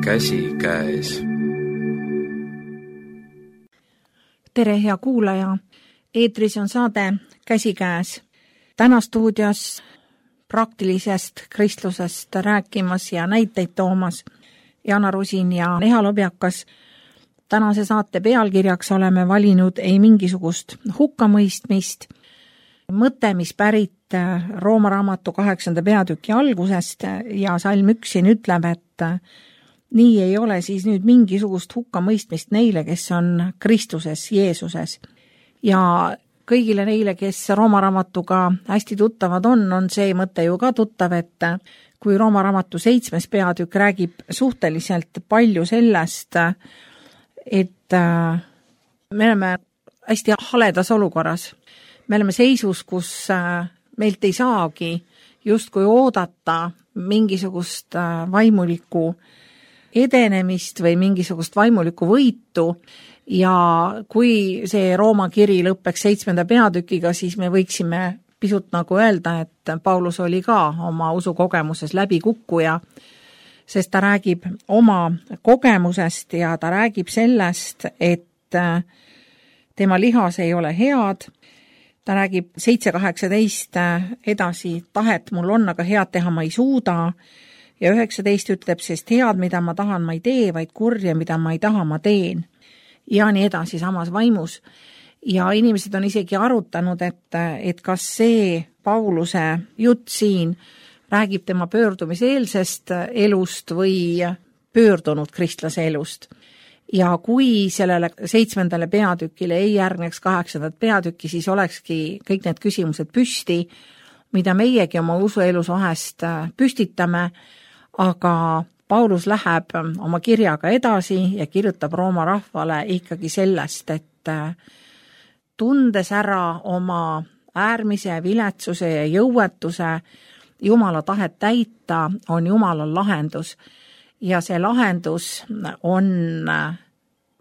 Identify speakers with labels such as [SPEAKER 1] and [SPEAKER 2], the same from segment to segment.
[SPEAKER 1] käsikäes.
[SPEAKER 2] Tere, hea kuulaja! Eetris on saade Käsikäes. Täna stuudios praktilisest kristlusest rääkimas ja näiteid toomas Jana Rusin ja Neha Lobjakas. Tänase saate pealkirjaks oleme valinud ei mingisugust hukkamõistmist. Mõte, mis pärit Rooma raamatu 8. peatüki algusest ja salm 1 siin ütleb, et nii ei ole siis nüüd mingisugust hukkamõistmist neile, kes on Kristuses, Jeesuses. Ja kõigile neile, kes Rooma raamatuga hästi tuttavad on see mõte ju ka tuttav, et kui Rooma raamatu 7. peatükk räägib suhteliselt palju sellest, et me oleme hästi haledas olukorras. Me oleme seisus, kus meilt ei saagi justkui oodata mingisugust vaimulikku edenemist või mingisugust vaimulikku võitu ja kui see Rooma kiri lõppeks 7. peatükiga, siis me võiksime pisut nagu öelda, et Paulus oli ka oma usukogemuses läbikukkuja, sest ta räägib oma kogemusest ja ta räägib sellest, et tema lihas ei ole head. Ta räägib 7.18 edasi, tahet mul on, aga head teha ma ei suuda. Ja 19 ütleb, sest head, mida ma tahan, ma ei tee, vaid kurja, mida ma ei taha, ma teen. Ja nii edasi samas vaimus. Ja inimesed on isegi arutanud, et kas see Pauluse jutt siin räägib tema pöördumiseelsest elust või pöördunud kristlase elust. Ja kui sellele 7. peatükile ei järgneks 8. peatükki, siis olekski kõik need küsimused püsti, mida meiegi oma usuelus vahest püstitame, aga Paulus läheb oma kirjaga edasi ja kirjutab Rooma rahvale ikkagi sellest, et tundes ära oma äärmise viletsuse ja jõuetuse, Jumala tahet täita on Jumalal lahendus. Ja see lahendus on,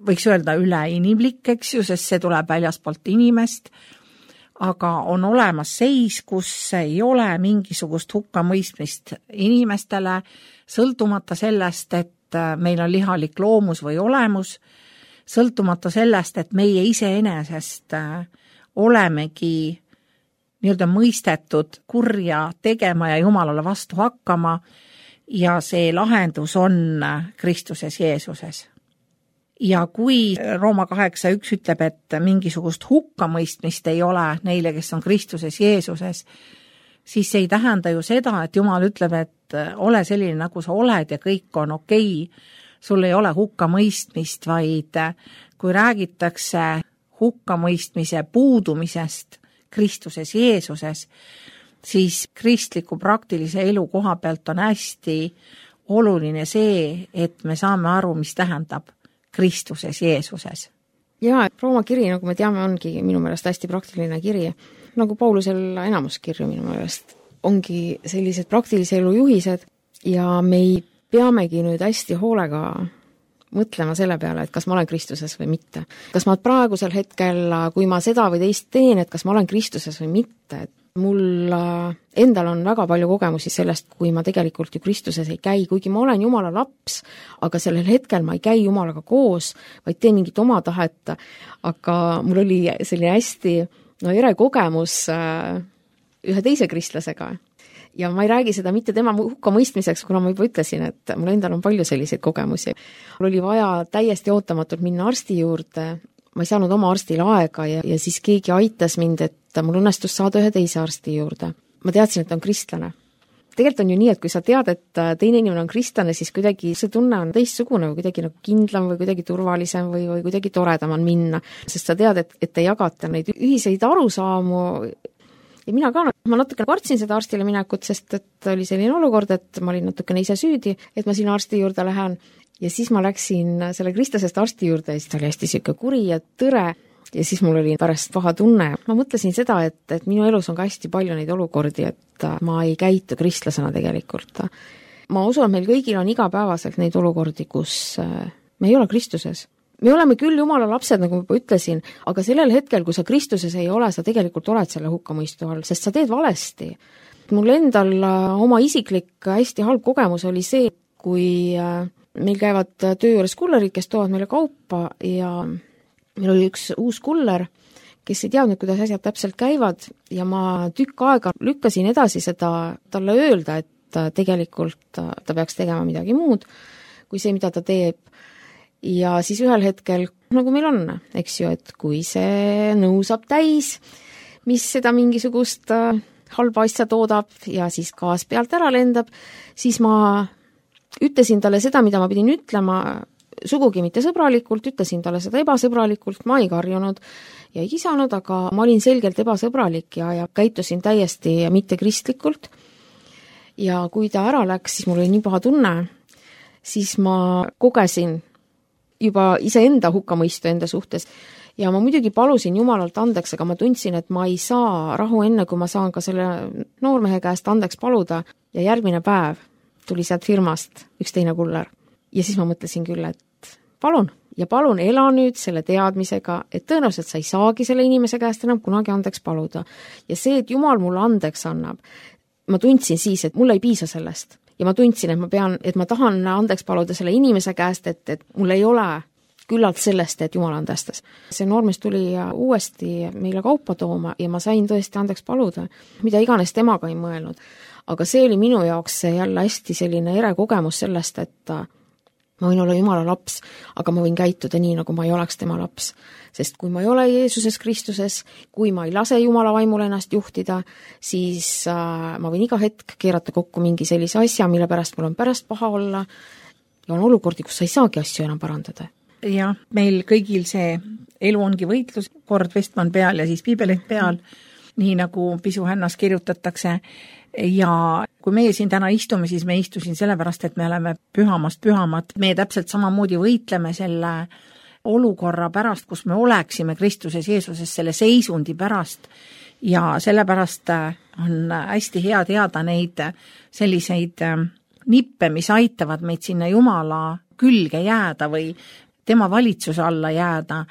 [SPEAKER 2] võiks öelda, üleinimlik, eks ju, sest see tuleb väljaspoolt inimest, aga on olemas seis, kus ei ole mingisugust hukkamõistmist inimestele, sõltumata sellest, et meil on lihalik loomus või olemus, sõltumata sellest, et meie iseenesest olemegi nii-öelda mõistetud kurja tegema ja Jumalale vastu hakkama ja see lahendus on Kristuses Jeesuses. Ja kui Rooma 8.1 ütleb, et mingisugust hukkamõistmist ei ole neile, kes on Kristuses Jeesuses, siis see ei tähenda ju seda, et Jumal ütleb, et ole selline, nagu sa oled ja kõik on okei. Sul ei ole hukkamõistmist, vaid kui räägitakse hukkamõistmise puudumisest Kristuses Jeesuses, siis kristliku praktilise elu koha pealt on hästi oluline see, et me saame aru, mis tähendab Kristuses Jeesuses.
[SPEAKER 3] Ja, Rooma kiri, nagu me teame, ongi minu meelest hästi praktiline kiri. Nagu Paulusel enamus kirju minu meelest ongi sellised praktilise elu juhised ja me peamegi nüüd hästi hoolega mõtlema selle peale, et kas ma olen Kristuses või mitte. Kas ma praegusel hetkel, kui ma seda või teist teen, et kas ma olen Kristuses või mitte. Mul endal on väga palju kogemusi sellest, kui ma tegelikult ju Kristuses ei käi, kuigi ma olen Jumala laps, aga sellel hetkel ma ei käi Jumalaga koos, vaid teen mingit oma tahet, aga mul oli selline hästi ere kogemus ühe teise kristlasega. Ja ma ei räägi seda mitte tema hukkamõistmiseks, kuna ma juba ütlesin, et mul endal on palju selliseid kogemusi. Mul oli vaja täiesti ootamatult minna arsti juurde, ma ei saanud oma arstile aega ja siis keegi aitas mind, et mul õnnestus saada ühe teise arsti juurde. Ma teadsin, et ta on kristlane. Tegelikult on ju nii, et kui sa tead, et teine inimene on kristlane, siis kuidagi see tunne on teistsugune või kuidagi nagu kindlam või kuidagi turvalisem või kuidagi toredam on minna, sest sa tead, et te jagate neid ühiseid arusaamu. Ja mina ka, ma natuke kartsin seda arstile minekut, sest et oli selline olukord, et ma olin natukene ise süüdi, et ma sinna arsti juurde lähen. Ja siis ma läksin selle kristlasest arsti juurde ja siis ta oli hästi siuke kuri ja tõre ja siis mul oli pärast paha tunne. Ma mõtlesin seda, et minu elus on ka hästi palju neid olukordi, et ma ei käitu kristlasena tegelikult. Ma usun, et meil kõigil on igapäevaselt neid olukordi, kus me ei ole Kristuses. Me oleme küll Jumala lapsed, nagu ma juba ütlesin, aga sellel hetkel, kui sa Kristuses ei ole, sa tegelikult oled selle hukkamõistu all, sest sa teed valesti. Mul endal oma isiklik hästi halb kogemus oli see, kui meil käivad töö juures kullerid, kes toovad meile kaupa ja meil oli üks uus kuller, kes ei teadnud, kuidas asjad täpselt käivad ja ma tükk aega lükkasin edasi seda talle öelda, et tegelikult ta peaks tegema midagi muud kui see, mida ta teeb. Ja siis ühel hetkel, nagu meil on, eks ju, et kui see nõu saab täis, mis seda mingisugust halba asja toodab ja siis gaas pealt ära lendab, siis ma ütlesin talle seda, mida ma pidin ütlema, sugugi mitte sõbralikult, ütlesin talle seda ebasõbralikult, ma ei karjunud ja ei kisanud, aga ma olin selgelt ebasõbralik ja käitusin täiesti mitte kristlikult. Ja kui ta ära läks, siis mul oli nii paha tunne, siis ma kogesin juba iseenda hukkamõistu enda suhtes ja ma muidugi palusin Jumalalt andeks, aga ma tundsin, et ma ei saa rahu enne, kui ma saan ka selle noormehe käest andeks paluda ja järgmine päev tuli sealt firmast üks teine kuller. Ja siis ma mõtlesin küll, et palun ela nüüd selle teadmisega, et tõenäoliselt sa ei saagi selle inimese käest enam kunagi andeks paluda. Ja see, et Jumal mulle andeks annab, ma tundsin siis, et mul ei piisa sellest. Ja ma tundsin, et ma tahan andeks paluda selle inimese käest, et mul ei ole küllalt sellest, et Jumal andestas. See noormees tuli uuesti meile kaupa tooma ja ma sain tõesti andeks paluda, mida iganes temaga ei mõelnud. Aga see oli minu jaoks jälle hästi selline ere kogemus sellest, et ma võin olla Jumala laps, aga ma võin käituda nii, nagu ma ei oleks tema laps. Sest kui ma ei ole Jeesuses Kristuses, kui ma ei lase Jumala vaimul ennast juhtida, siis ma võin iga hetk keerata kokku mingi sellise asja, mille pärast mul on pärast paha olla ja on olukordi, kus sa ei saagi asju enam parandada.
[SPEAKER 2] Jah, meil kõigil see elu ongi võitlus, kord Vestman peal ja siis piibeleht peal, nii nagu pisuhännas kirjutatakse. Ja kui meie siin täna istume, siis me istusin sellepärast, et me oleme pühamast pühamad. Me täpselt samamoodi võitleme selle olukorra pärast, kus me oleksime Kristuses Jeesuses, selle seisundi pärast. Ja sellepärast on hästi hea teada neid selliseid nippe, mis aitavad meid sinna Jumala külge jääda või tema valitsuse alla jääda.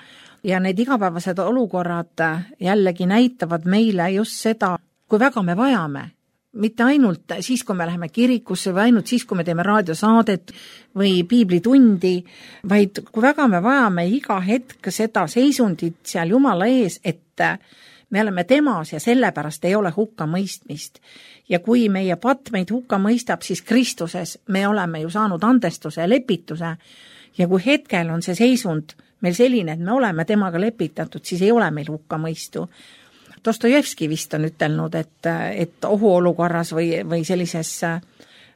[SPEAKER 2] Ja need igapäevased olukorrad jällegi näitavad meile just seda, kui väga me vajame. Mitte ainult siis, kui me läheme kirikusse või ainult siis, kui me teeme raadiosaadet või piiblitundi, vaid kui väga me vajame iga hetk seda seisundit seal Jumala ees, et me oleme temas ja sellepärast ei ole hukka mõistmist. Ja kui meie patt meid hukka mõistab, siis Kristuses me oleme ju saanud andestuse ja lepituse. Ja kui hetkel on see seisund meil selline, et me oleme temaga lepitatud, siis ei ole meil hukka mõistu. Dostojevski vist on ütelnud, et ohuolukorras või sellises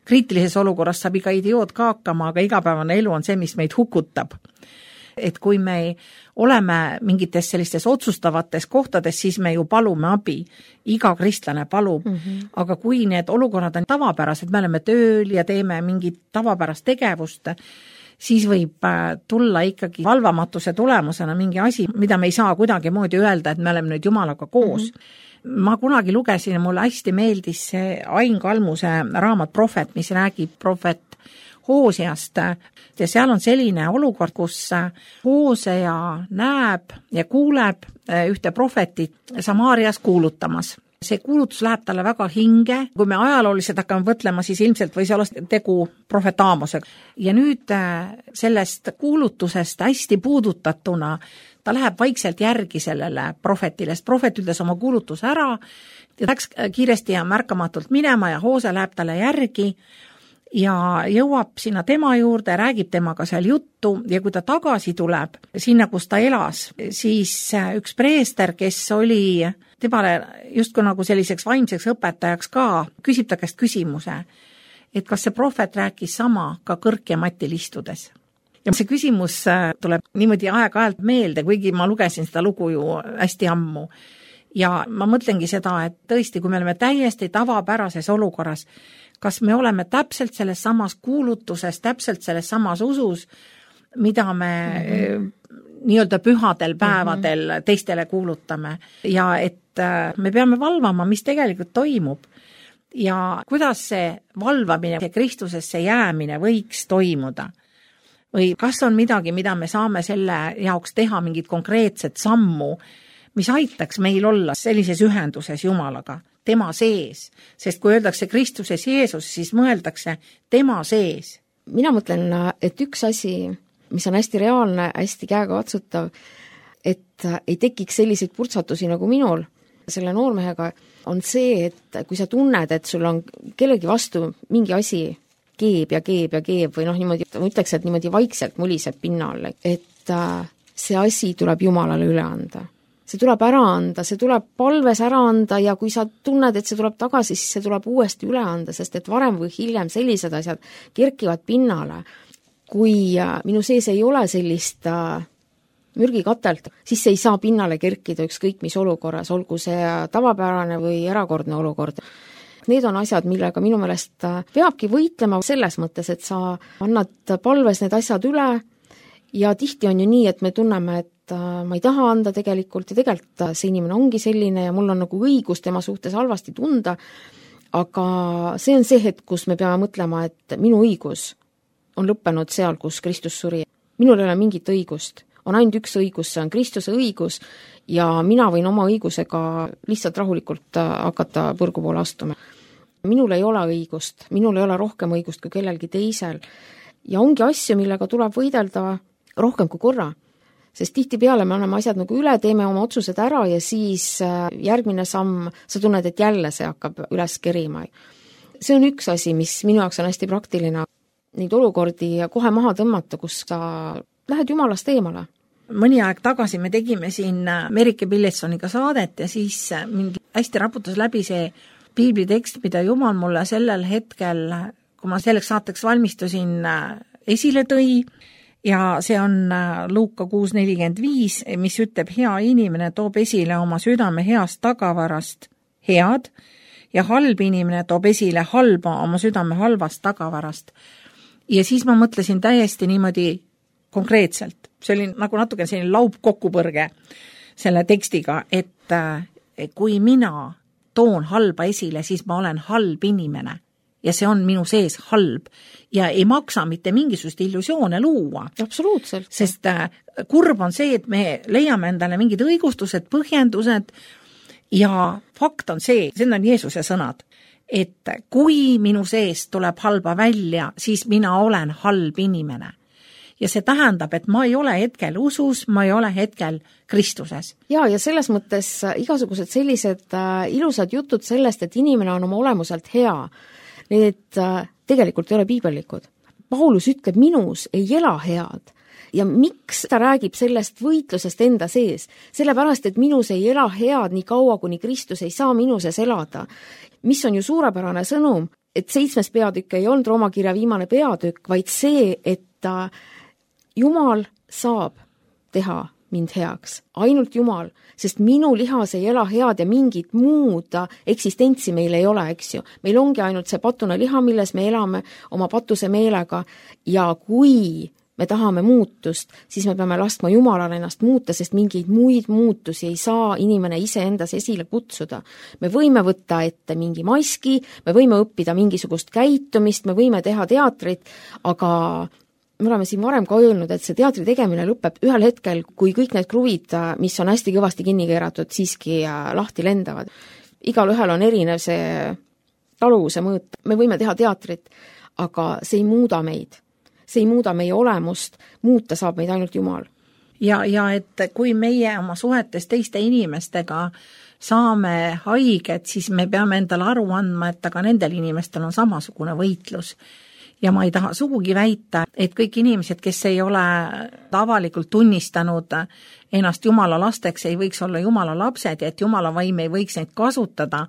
[SPEAKER 2] kriitilises olukorras saab iga idioot ka hakkama, aga igapäevane elu on see, mis meid hukutab. Et kui me oleme mingites sellistes otsustavates kohtades, siis me ju palume abi. Iga kristlane palub. Aga kui need olukorrad on tavapärased, me oleme tööl ja teeme mingit tavapärast tegevust, siis võib tulla ikkagi valvamatuse tulemusena mingi asi, mida me ei saa kuidagi moodi öelda, et me oleme nüüd Jumalaga koos. Ma kunagi lugesin ja mulle hästi meeldis see Ain Kalmuse raamat Prohvet, mis räägib prohvet Hooseast. Ja seal on selline olukord, kus Hoosea näeb ja kuuleb ühte prohvetit Samaarias kuulutamas. See kuulutus läheb talle väga hinge. Kui me ajalooliselt hakkame võtlema, siis ilmselt võis olla tegu prohvet Aamosega. Ja nüüd sellest kuulutusest hästi puudutatuna ta läheb vaikselt järgi sellele prohvetile, sest prohvet ütles oma kuulutuse ära ja läks kiiresti ja märkamatult minema ja Hoose läheb talle järgi ja jõuab sinna tema juurde, räägib temaga seal juttu ja kui ta tagasi tuleb sinna, kus ta elas, siis üks preester, kes oli temale justkui nagu selliseks vaimseks õpetajaks ka, küsib ta käest küsimuse, et kas see prohvet rääkis sama ka kõrk ja matil istudes. Ja see küsimus tuleb niimoodi aeg-ajalt meelde, kuigi ma lugesin seda lugu ju hästi ammu. Ja ma mõtlengi seda, et tõesti, kui me oleme täiesti tavapärases olukorras, kas me oleme täpselt selles samas kuulutuses, täpselt selles samas usus, mida me nii-öelda pühadel päevadel teistele kuulutame ja et me peame valvama, mis tegelikult toimub ja kuidas see valvamine ja Kristusesse jäämine võiks toimuda. Või kas on midagi, mida me saame selle jaoks teha mingit konkreetset sammu, mis aitaks meil olla sellises ühenduses Jumalaga, tema sees. Sest kui öeldakse Kristuses Jeesus, siis mõeldakse tema sees.
[SPEAKER 3] mina mõtlen, et üks asi, mis on hästi reaalne, hästi käegakatsutav, et ei tekiks selliseid purtsatusi nagu minul selle noormehega, on see, et kui sa tunned, et sul on kellegi vastu mingi asi keeb või niimoodi, ma ütleks, et niimoodi vaikselt muliseb pinnal, et see asi tuleb Jumalale üle anda. See tuleb ära anda, see tuleb palves ära anda ja kui sa tunned, et see tuleb tagasi, siis see tuleb uuesti üle anda, sest et varem või hiljem sellised asjad kerkivad pinnale. Kui minu sees ei ole sellist mürgikatelt, siis see ei saa pinnale kerkida ükskõik mis olukorras, olgu see tavapärane või erakordne olukord. Need on asjad, millega minu meelest peabki võitlema selles mõttes, et sa annad palves need asjad üle ja tihti on ju nii, et me tunneme, et ma ei taha anda tegelikult ja tegelikult see inimene ongi selline ja mul on nagu õigus tema suhtes halvasti tunda, aga see on see hetk, kus me peame mõtlema, et minu õigus on lõppenud seal, kus Kristus suri. Minul ei ole mingit õigust. On ainult üks õigus, see on Kristuse õigus ja mina võin oma õigusega lihtsalt rahulikult hakata põrgu poole astuma. Minul ei ole õigust, minul ei ole rohkem õigust kui kellelgi teisel ja ongi asju, millega tuleb võidelda rohkem kui korra, sest tihtipeale me anname asjad nagu üle, teeme oma otsused ära ja siis järgmine samm, sa tunned, et jälle see hakkab üles kerima. See on üks asi, mis minu jaoks on hästi praktiline, neid olukordi kohe maha tõmmata, kus sa lähed Jumalast eemale.
[SPEAKER 2] Mõni aeg tagasi me tegime siin Merike Pilletsoniga saadet ja siis mind hästi raputas läbi see piiblitekst, mida Jumal mulle sellel hetkel, kui ma selleks saateks valmistusin, esile tõi ja see on Luuka 6:45, mis ütleb, hea inimene toob esile oma südame heast tagavarast head ja halb inimene toob esile halba oma südame halvast tagavarast. Ja siis ma mõtlesin täiesti niimoodi konkreetselt, see oli nagu natuke selline laupkokkupõrge selle tekstiga, et kui mina toon halba esile, siis ma olen halb inimene ja see on minu sees halb ja ei maksa mitte mingisugust illusioone luua.
[SPEAKER 3] Absoluutselt.
[SPEAKER 2] Sest kurb on see, et me leiame endale mingid õigustused, põhjendused ja fakt on see, see on Jeesuse sõnad, et kui minu sees tuleb halba välja, siis mina olen halb inimene. Ja see tähendab, et ma ei ole hetkel usus, ma ei ole hetkel Kristuses.
[SPEAKER 3] Ja selles mõttes igasugused sellised ilusad jutud sellest, et inimene on oma olemuselt hea, need tegelikult ei ole piibellikud. Paulus ütleb, minus ei ela head. Ja miks ta räägib sellest võitlusest enda sees? Sellepärast, et minus ei ela head nii kaua, kuni Kristus ei saa minuses elada. Mis on ju suurepärane sõnum, et 7. peatükk ei olnud Rooma kirja viimane peatükk, vaid see, et Jumal saab teha mind heaks, ainult Jumal, sest minu lihas ei ela head ja mingit muud eksistentsi meil ei ole, eks ju. Meil ongi ainult see patune liha, milles me elame oma patuse meelega ja kui me tahame muutust, siis me peame laskma Jumalale ennast muuta, sest mingeid muid muutusi ei saa inimene iseendas esile kutsuda. Me võime võtta ette mingi maski, me võime õppida mingisugust käitumist, me võime teha teatrit, aga me oleme siin varem ka öelnud, et see teatri tegemine lõpeb ühel hetkel, kui kõik need kruvid, mis on hästi kõvasti kinni keeratud, siiski lahti lendavad. Igal ühel on erinev see taluvuse mõõt. Me võime teha teatrit, aga see ei muuda meid. See ei muuda meie olemust, muuta saab meid ainult Jumal.
[SPEAKER 2] Ja et kui meie oma suhetes teiste inimestega saame haiget, siis me peame endale aru andma, et aga nendel inimestel on samasugune võitlus. Ja ma ei taha sugugi väita, et kõik inimesed, kes ei ole avalikult tunnistanud ennast Jumala lasteks, ei võiks olla Jumala lapsed ja et Jumala vaim ei võiks neid kasutada,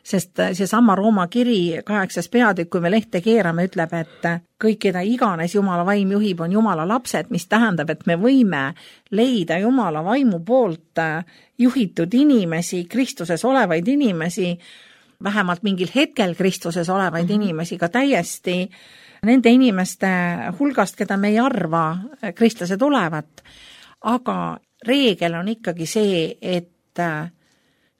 [SPEAKER 2] sest see sama Rooma kiri 8. peatükk, kui me lehte keerame, ütleb, et kõik, keda iganes Jumala vaim juhib, on Jumala lapsed, mis tähendab, et me võime leida Jumala vaimu poolt juhitud inimesi, Kristuses olevaid inimesi, vähemalt mingil hetkel Kristuses olevaid inimesi ka täiesti nende inimeste hulgast, keda me ei arva kristlased olevat. Aga reegel on ikkagi see, et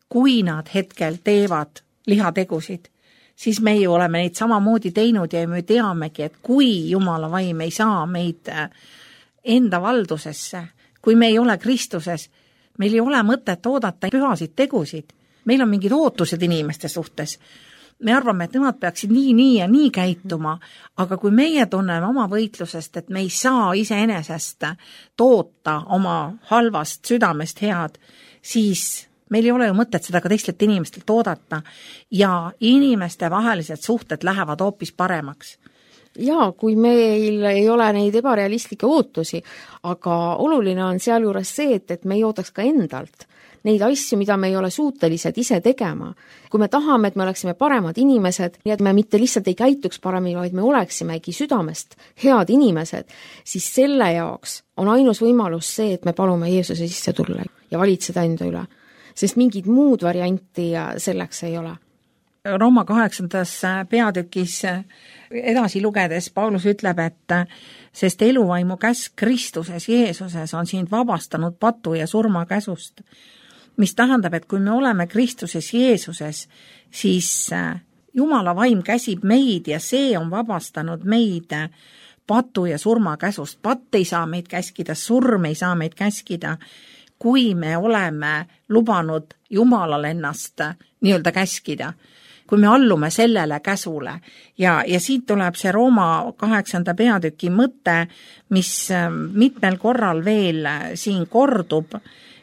[SPEAKER 2] kui nad hetkel teevad lihategusid, siis me ju oleme neid samamoodi teinud ja me teamegi, et kui Jumala vaim ei saa meid enda valdusesse, kui me ei ole Kristuses, meil ei ole mõtet oodata pühasid tegusid. Meil on mingid ootused inimeste suhtes. me arvame, et nemad peaksid nii ja nii käituma, aga kui meie tunneme oma võitlusest, et me ei saa iseenesest toota oma halvast südamest head, siis meil ei ole ju mõtet seda ka teistelt inimestelt oodata ja inimeste vahelised suhted lähevad hoopis paremaks.
[SPEAKER 3] Jaa, kui meil ei ole neid ebarealistlikke ootusi, aga oluline on sealjuures see, et me ei ootaks ka endalt neid asju, mida me ei ole suutelised ise tegema. Kui me tahame, et me oleksime paremad inimesed, nii et me mitte lihtsalt ei käituks paremini, vaid me oleksimegi südamest head inimesed, siis selle jaoks on ainus võimalus see, et me palume Jeesuse sisse tulla ja valitseda enda üle. Sest mingid muud varianti selleks ei ole.
[SPEAKER 2] Rooma 8. peatükis edasi lugedes Paulus ütleb, et sest eluvaimu käsk Kristuses Jeesuses on sind vabastanud patu ja surma käsust, mis tähendab, et kui me oleme Kristuses Jeesuses, siis Jumala vaim käsib meid ja see on vabastanud meid patu ja surma käsust. Patt ei saa meid käskida, surm ei saa meid käskida, kui me oleme lubanud Jumalal ennast nii-öelda käskida, kui me allume sellele käsule. Ja siit tuleb see Rooma 8. peatüki mõte, mis mitmel korral veel siin kordub,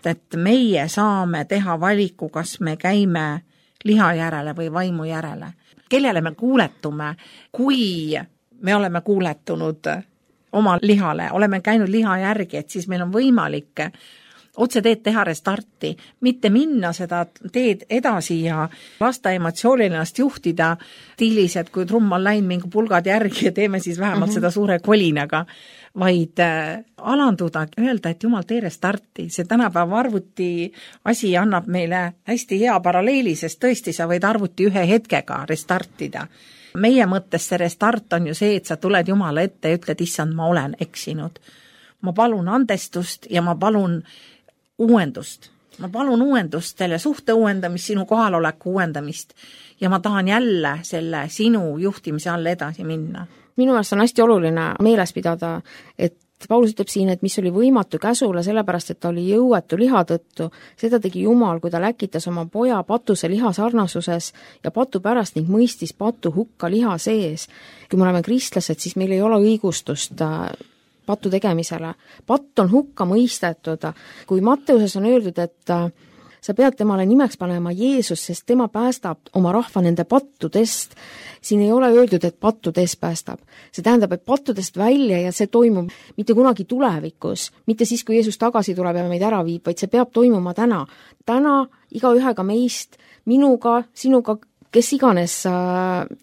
[SPEAKER 2] et meie saame teha valiku, kas me käime liha järele või vaimu järele. Kellele me kuuletume, kui me oleme kuuletunud oma lihale, oleme käinud liha järgi, et siis meil on võimalik otse teed teha restarti, mitte minna seda teed edasi ja lasta emotsioonil ennast juhtida stiilis, et kui trumm on läinud mingi pulgad järgi ja teeme siis vähemalt seda suure kolinaga, vaid alanduda, öelda, et Jumal, tee restarti. See tänapäeva arvuti asi annab meile hästi hea paralleeli, sest tõesti sa võid arvuti ühe hetkega restartida. Meie mõttes see restart on ju see, et sa tuled Jumala ette ja ütled, issand, ma olen eksinud. Ma palun andestust ja ma palun uuendust. Ma palun uuendust, selle suhte uuendamist, sinu kohaloleku uuendamist ja ma tahan jälle selle sinu juhtimise all edasi minna.
[SPEAKER 3] Minu meelest on hästi oluline meeles pidada, et Paulus ütleb siin, et mis oli võimatu käsule, sellepärast, et ta oli jõuetu liha tõttu, seda tegi Jumal, kui ta läkitas oma poja patuse liha sarnasuses ja patu pärast ning mõistis patu hukka liha sees. Kui me oleme kristlased, siis meil ei ole õigustust patu tegemisele. Patt on hukka mõistetud. Kui Matteuses on öeldud, et sa pead temale nimeks panema Jeesus, sest tema päästab oma rahva nende pattudest, siin ei ole öeldud, et pattudest päästab. See tähendab, et pattudest välja ja see toimub mitte kunagi tulevikus, mitte siis, kui Jeesus tagasi tuleb ja meid ära viib, vaid see peab toimuma täna. Täna igaühega meist, minuga, sinuga, kes iganes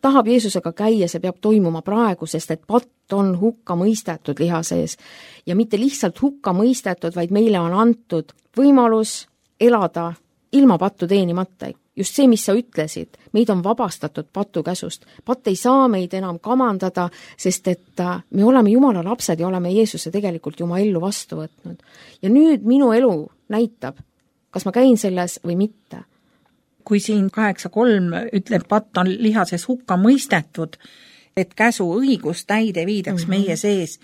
[SPEAKER 3] tahab Jeesusega käia, see peab toimuma praegu, sest et patt on hukka mõistetud liha sees. Ja mitte lihtsalt hukka mõistetud, vaid meile on antud võimalus elada ilma pattu teenimata. Just see, mis sa ütlesid, meid on vabastatud patu käsust. Patt ei saa meid enam kamandada, sest et me oleme Jumala lapsed ja oleme Jeesuse tegelikult ju oma ellu vastu võtnud. Ja nüüd minu elu näitab, kas ma käin selles või mitte.
[SPEAKER 2] Kui siin 8.3 ütleb, patt on lihases hukka mõistetud, et käsu õigus täide viidaks meie sees,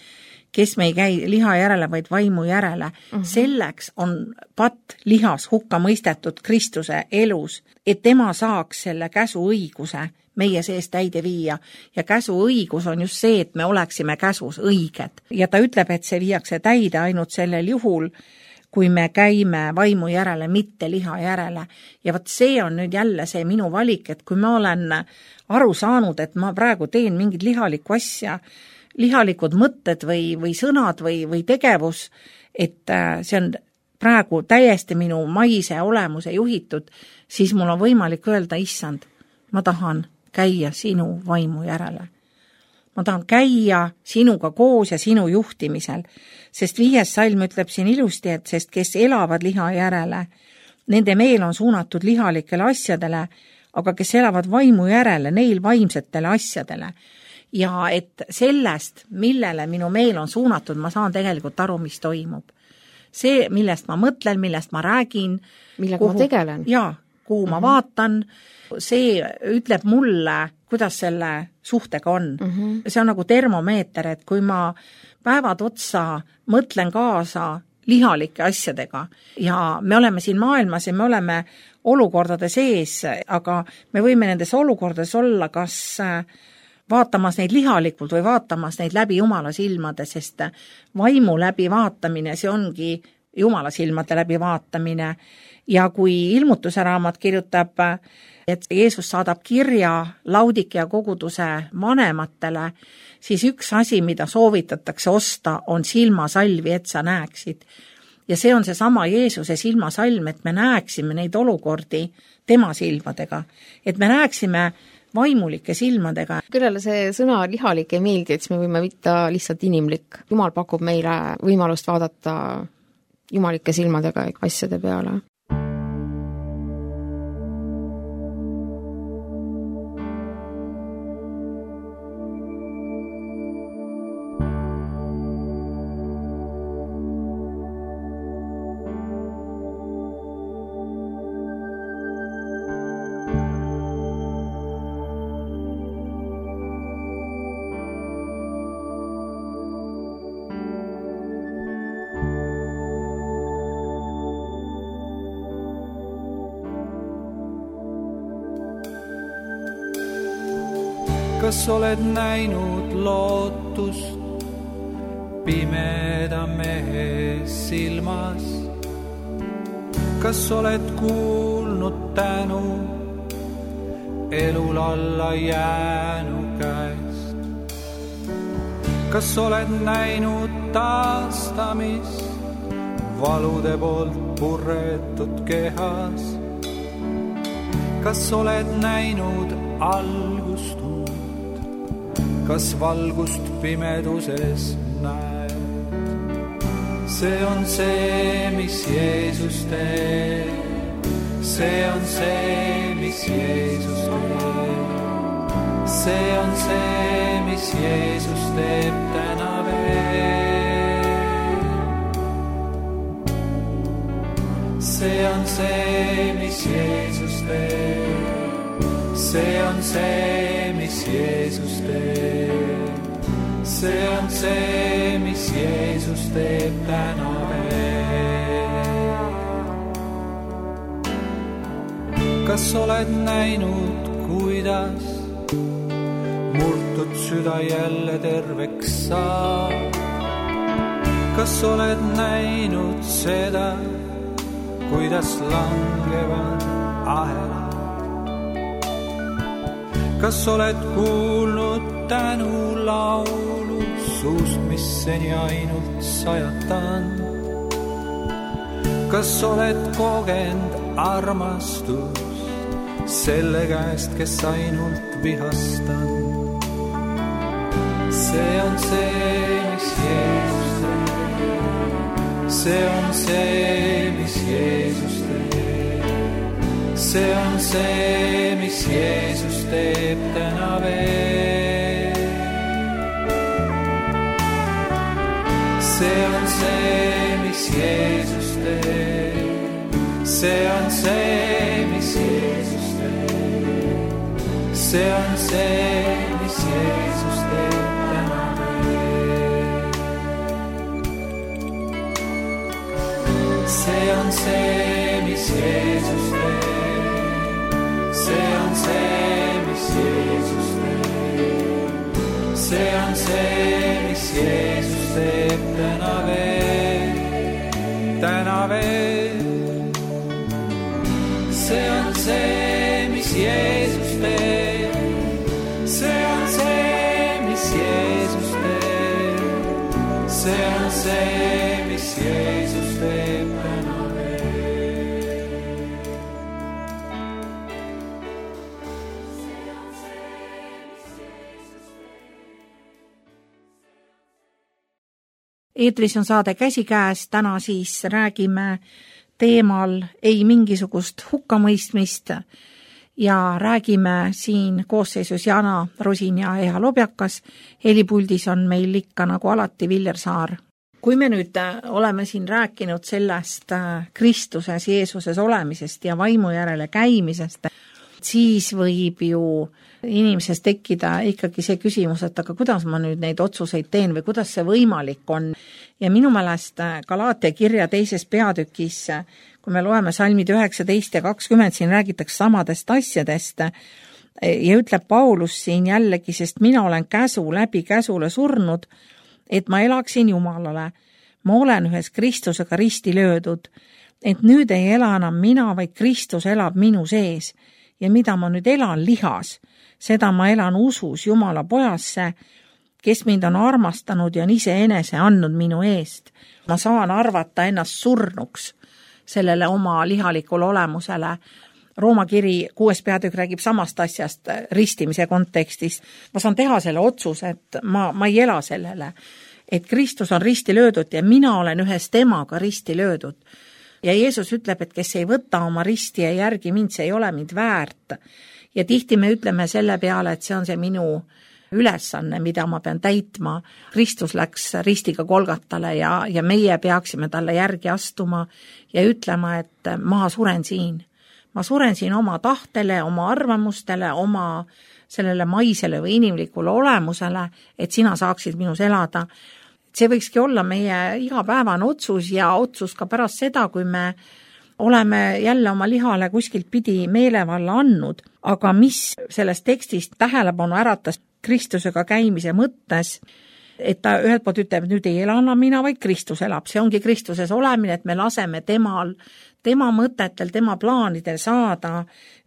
[SPEAKER 2] kes me ei käi liha järele, vaid vaimu järele. Selleks on patt lihas hukka mõistetud Kristuse elus, et tema saaks selle käsu õiguse meie sees täide viia. Ja käsu õigus on just see, et me oleksime käsus õiged. Ja ta ütleb, et see viiakse täide ainult sellel juhul, kui me käime vaimu järele, mitte liha järele. Ja võt see on nüüd jälle see minu valik, et kui ma olen aru saanud, et ma praegu teen mingid lihalikku asja, lihalikud mõtted või sõnad või tegevus, et see on praegu täiesti minu maise olemuse juhitud, siis mul on võimalik öelda, issand, ma tahan käia sinu vaimu järele. Ma tahan käia sinuga koos ja sinu juhtimisel, sest 5. salm ütleb siin ilusti, et sest kes elavad liha järele, nende meel on suunatud lihalikele asjadele, aga kes elavad vaimu järele, neil vaimsetele asjadele. Ja et sellest, millele minu meel on suunatud, ma saan tegelikult aru, mis toimub. See, millest ma mõtlen, millest ma räägin,
[SPEAKER 3] millega ma tegelen.
[SPEAKER 2] Jaa, kuhu ma vaatan, see ütleb mulle, kuidas selle suhtega on. See on nagu termomeeter, et kui ma päevad otsa mõtlen kaasa lihalike asjadega ja me oleme siin maailmas ja me oleme olukordade sees, aga me võime nendes olukordades olla kas vaatamas neid lihalikult või vaatamas neid läbi Jumala silmade, sest vaimu läbi vaatamine, see ongi Jumala silmade läbi vaatamine. Ja kui Ilmutuse raamat kirjutab, et Jeesus saadab kirja Laudikea koguduse vanematele, siis üks asi, mida soovitatakse osta, on silmasalvi, et sa näeksid. Ja see on seesama Jeesuse silmasalm, et me näeksime neid olukordi tema silmadega, et me näeksime vaimulike silmadega.
[SPEAKER 3] Kellele see sõna lihalik ei meeldi, et siis me võime võtta lihtsalt inimlik. Jumal pakub meile võimalust vaadata jumalike silmadega asjade peale.
[SPEAKER 1] Kas oled näinud lootust pimeda mehe silmas? Kas oled kuulnud tänu elul alla jäänu käest? Kas oled näinud taastamist valude poolt purretud kehas? Kas oled näinud algust? Kas valgust pimeduses näed? See on see, mis Jeesus teeb. See on see, mis Jeesus teeb. See on see, mis Jeesus teeb täna veel. See on see, mis Jeesus teeb. See on see, mis Jeesus teeb. See on see, mis Jeesus teeb täna veel. Kas oled näinud, kuidas murtud süda jälle terveks saab? Kas oled näinud seda, kuidas langevad ahelad? Kas oled kuulnud tänu laulu suust, mis seni ainult sajatan? Kas oled kogenud armastust selle käest, kes ainult vihastan? See on see, mis Jeesus teeb. See on see, mis Jeesus teeb. See on see, mis Jeesus teeb täna veel. See on see, mis Jeesus teeb. See on see, mis Jeesus teeb. See on see, mis Jeesus teeb täna veel. See on see, mis Jeesus teeb. See on see, mis Jeesus teeb. See on see, mis Jeesus teeb täna veel. Täna veel. See on see, mis Jeesus teeb. See on see, mis Jeesus teeb. See on see, mis Jeesus teeb täna veel.
[SPEAKER 2] Eetris on saade Käsikäes, täna siis räägime teemal ei mingisugust hukkamõistmist ja räägime siin koosseisus Jana Rusin ja Eha Lobjakas. Helipuldis on meil ikka nagu alati Viljar Saar. Kui me nüüd oleme siin rääkinud sellest Kristuses, Jeesuses olemisest ja vaimu järele käimisest, siis võib ju inimesest tekkida ikkagi see küsimus, et aga kuidas ma nüüd neid otsuseid teen või kuidas see võimalik on. Ja minu meelest Galaatia kirja 2. peatükis, kui me loeme salmid 19 ja 20, siin räägitakse samadest asjadest ja ütleb Paulus siin jällegi, sest mina olen käsu läbi käsule surnud, et ma elaksin Jumalale. Ma olen ühes Kristusega risti löödud, et nüüd ei ela enam mina, vaid Kristus elab minu sees. Ja mida ma nüüd elan lihas, seda ma elan usus Jumala pojasse, kes mind on armastanud ja on iseenese andnud minu eest. Ma saan arvata ennast surnuks sellele oma lihalikule olemusele. Rooma kiri 6. peatükk räägib samast asjast ristimise kontekstis. Ma saan teha selle otsuse, et ma ei ela sellele, et Kristus on risti löödud ja mina olen ühes temaga risti löödud. Ja Jeesus ütleb, et kes ei võta oma risti ja järgi mind, see ei ole mind väärt. Ja tihti me ütleme selle peale, et see on see minu ülesanne, mida ma pean täitma. Kristus läks ristiga Golgatale ja meie peaksime talle järgi astuma ja ütlema, et ma suren siin. Ma suren siin oma tahtele, oma arvamustele, oma sellele maisele või inimlikule olemusele, et sina saaksid minus elada. See võikski olla meie igapäevane otsus ja otsus ka pärast seda, kui me oleme jälle oma lihale kuskilt pidi meelevalla andnud. Aga mis sellest tekstist tähelepanu äratas Kristusega käimise mõttes, et ta ühelt poolt ütleb, et nüüd ei ela enam mina, vaid Kristus elab. See ongi Kristuses olemine, et me laseme temal, tema mõtetel, tema plaanidel saada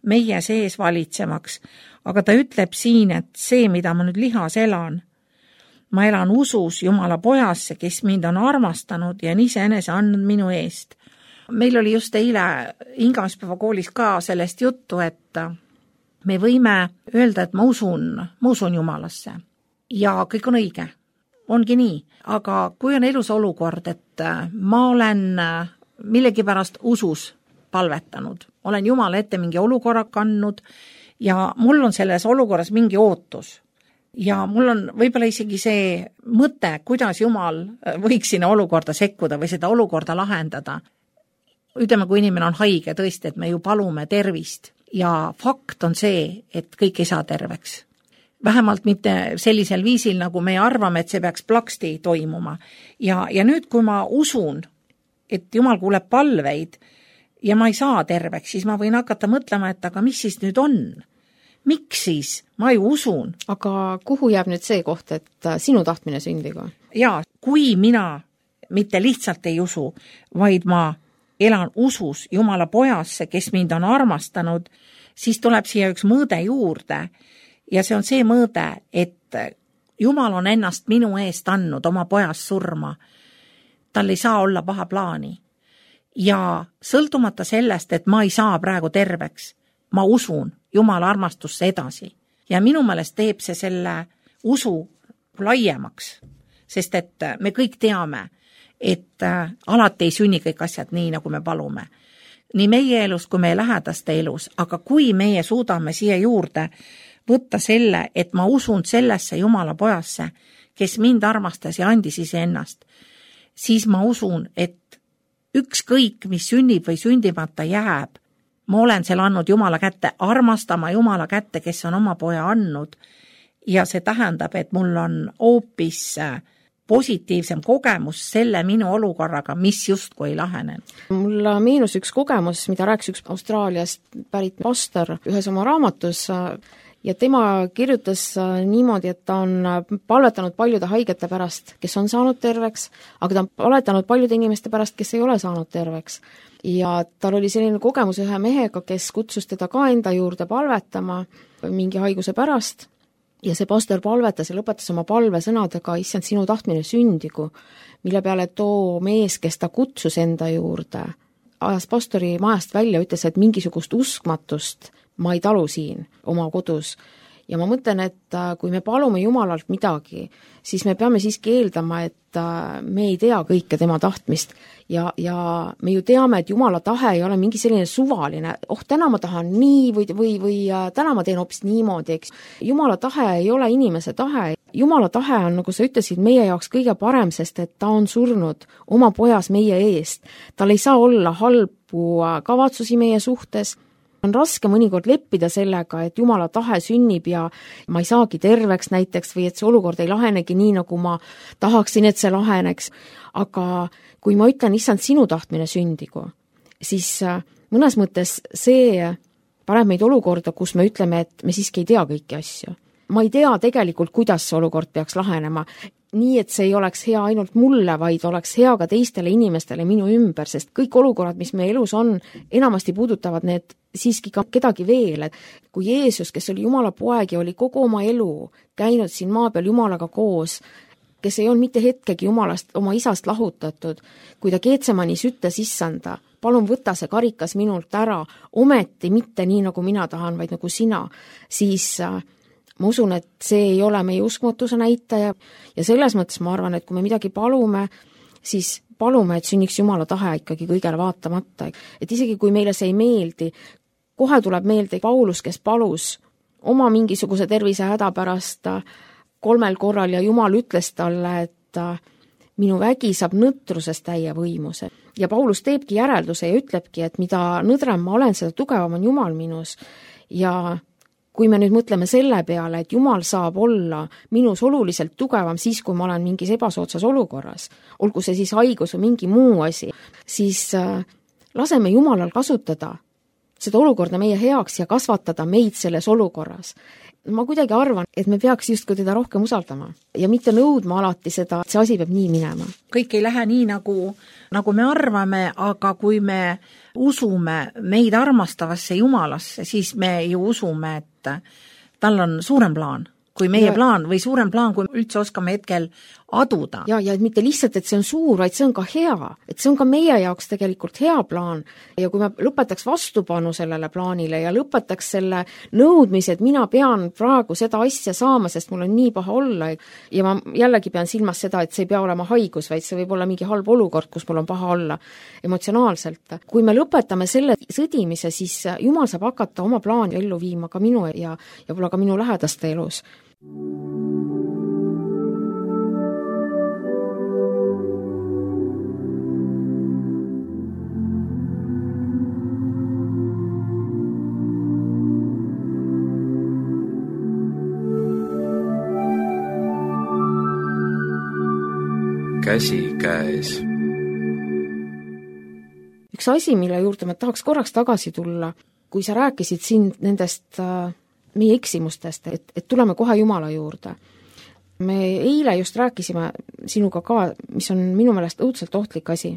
[SPEAKER 2] meie sees valitsemaks. Aga ta ütleb siin, et see, mida ma nüüd lihas elan, ma elan usus Jumala pojasse, kes mind on armastanud ja on iseenese andnud minu eest. Meil oli just eile hingamispäeva koolis ka sellest juttu, et me võime öelda, et ma usun Jumalasse ja kõik on õige, ongi nii. Aga kui on elus olukord, et ma olen millegipärast usus palvetanud, olen Jumala ette mingi olukorra kandnud ja mul on selles olukorras mingi ootus ja mul on võib-olla isegi see mõte, kuidas Jumal võiks sinna olukorda sekkuda või seda olukorda lahendada. Ütleme, kui inimene on haige tõesti, et me ju palume tervist ja fakt on see, et kõik ei saa terveks. Vähemalt mitte sellisel viisil, nagu me arvame, et see peaks plaksti toimuma. Ja nüüd, kui ma usun, et Jumal kuuleb palveid ja ma ei saa terveks, siis ma võin hakata mõtlema, et aga mis siis nüüd on? Miks siis? Ma ju usun.
[SPEAKER 3] Aga kuhu jääb nüüd see koht, et sinu tahtmine sündigu?
[SPEAKER 2] Jaa, kui mina mitte lihtsalt ei usu, vaid ma elan usus Jumala pojasse, kes mind on armastanud, siis tuleb siia üks mõõde juurde ja see on see mõõde, et Jumal on ennast minu eest andnud oma pojas surma. Tal ei saa olla paha plaani. Ja sõltumata sellest, et ma ei saa praegu terveks, ma usun Jumala armastusse edasi. Ja minu meelest teeb see selle usu laiemaks, sest et me kõik teame, et alati ei sünni kõik asjad nii, nagu me palume. Nii meie elus kui meie lähedaste elus, aga kui meie suudame siia juurde võtta selle, et ma usun sellesse Jumala pojasse, kes mind armastas ja andis iseennast, siis ma usun, et ükskõik, mis sünnib või sündimata jääb, ma olen selle andnud Jumala kätte, armastama Jumala kätte, kes on oma poja andnud ja see tähendab, et mul on hoopis positiivsem kogemus selle minu olukorraga, mis justkui ei lahenen.
[SPEAKER 3] Mul meenus üks kogemus, mida rääkis üks Austraaliast pärit pastor ühes oma raamatus ja tema kirjutas niimoodi, et ta on palvetanud paljude haigete pärast, kes on saanud terveks, aga ta on palvetanud paljude inimeste pärast, kes ei ole saanud terveks. Ja tal oli selline kogemus ühe mehega, kes kutsus teda ka enda juurde palvetama mingi haiguse pärast ja see pastor palvetas ja lõpetas oma palve sõnadega, issand, sinu tahtmine sündigu, mille peale too mees, kes ta kutsus enda juurde, ajas pastori majast välja, ütles, et mingisugust uskmatust ma ei talu siin oma kodus. Ja ma mõtlen, et kui me palume Jumalalt midagi, siis me peame siiski eeldama, et me ei tea kõike tema tahtmist ja me ju teame, et Jumala tahe ei ole mingi selline suvaline, täna ma tahan nii või täna ma teen hoopis niimoodi, eks. Jumala tahe ei ole inimese tahe. Jumala tahe on, nagu sa ütlesid, meie jaoks kõige parem, sest et ta on surnud oma pojas meie eest. Tal ei saa olla halbu kavatsusi meie suhtes. on raske mõnikord leppida sellega, et Jumala tahe sünnib ja ma ei saagi terveks näiteks või et see olukord ei lahenegi nii, nagu ma tahaksin, et see laheneks. Aga kui ma ütlen, issand, sinu tahtmine sündigu, siis mõnes mõttes see paneb meid olukorda, kus me ütleme, et me siiski ei tea kõiki asju. Ma ei tea tegelikult, kuidas see olukord peaks lahenema. Nii, et see ei oleks hea ainult mulle, vaid oleks hea ka teistele inimestele minu ümber, sest kõik olukorrad, mis meie elus on, enamasti puudutavad need siiski ka kedagi veel. Kui Jeesus, kes oli Jumala poeg ja oli kogu oma elu käinud siin maa peal Jumalaga koos, kes ei olnud mitte hetkegi Jumalast, oma isast lahutatud, kui ta Geetsemanis ütles issanda, palun võta see karikas minult ära, ometi mitte nii, nagu mina tahan, vaid nagu sina, siis ma usun, et see ei ole meie uskmatuse näitaja ja selles mõttes ma arvan, et kui me midagi palume, siis palume, et sünniks Jumala tahe ikkagi kõigele vaatamata. Et isegi kui meile see ei meeldi, kohe tuleb meelde Paulus, kes palus oma mingisuguse tervise häda pärast 3 korral ja Jumal ütles talle, et minu vägi saab nõtrusest täie võimuse. Ja Paulus teebki järelduse ja ütlebki, et mida nõdrem ma olen, seda tugevam on Jumal minus. Ja kui me nüüd mõtleme selle peale, et Jumal saab olla minus oluliselt tugevam siis, kui ma olen mingis ebasoodsas olukorras, olgu see siis haigus või mingi muu asi, siis laseme Jumalal kasutada seda olukorda meie heaks ja kasvatada meid selles olukorras. Ma kuidagi arvan, et me peaks justkui teda rohkem usaldama ja mitte nõudma alati seda, et see asi peab nii minema.
[SPEAKER 2] Kõik ei lähe nii, nagu me arvame, aga kui me usume meid armastavasse Jumalasse, siis me ju usume, et tal on suurem plaan kui meie plaan või suurem plaan, kui üldse oskame hetkel aduda.
[SPEAKER 3] Ja et mitte lihtsalt, et see on suur, vaid see on ka hea. Et see on ka meie jaoks tegelikult hea plaan. Ja kui me lõpetaks vastupanu sellele plaanile ja lõpetaks selle nõudmise, et mina pean praegu seda asja saama, sest mul on nii paha olla. Ja ma jällegi pean silmas seda, et see ei pea olema haigus, vaid see võib olla mingi halb olukord, kus mul on paha olla emotsionaalselt. Kui me lõpetame selle sõdimise, siis Jumal saab hakata oma plaani ellu viima ka minu ja võib-olla ka minu lähedaste elus.
[SPEAKER 1] Käsi käes.
[SPEAKER 3] Üks asi, mille juurde ma tahaks korraks tagasi tulla, kui sa rääkisid siin nendest meie eksimustest, et tuleme kohe Jumala juurde. Me eile just rääkisime sinuga ka, mis on minu meelest õudselt ohtlik asi,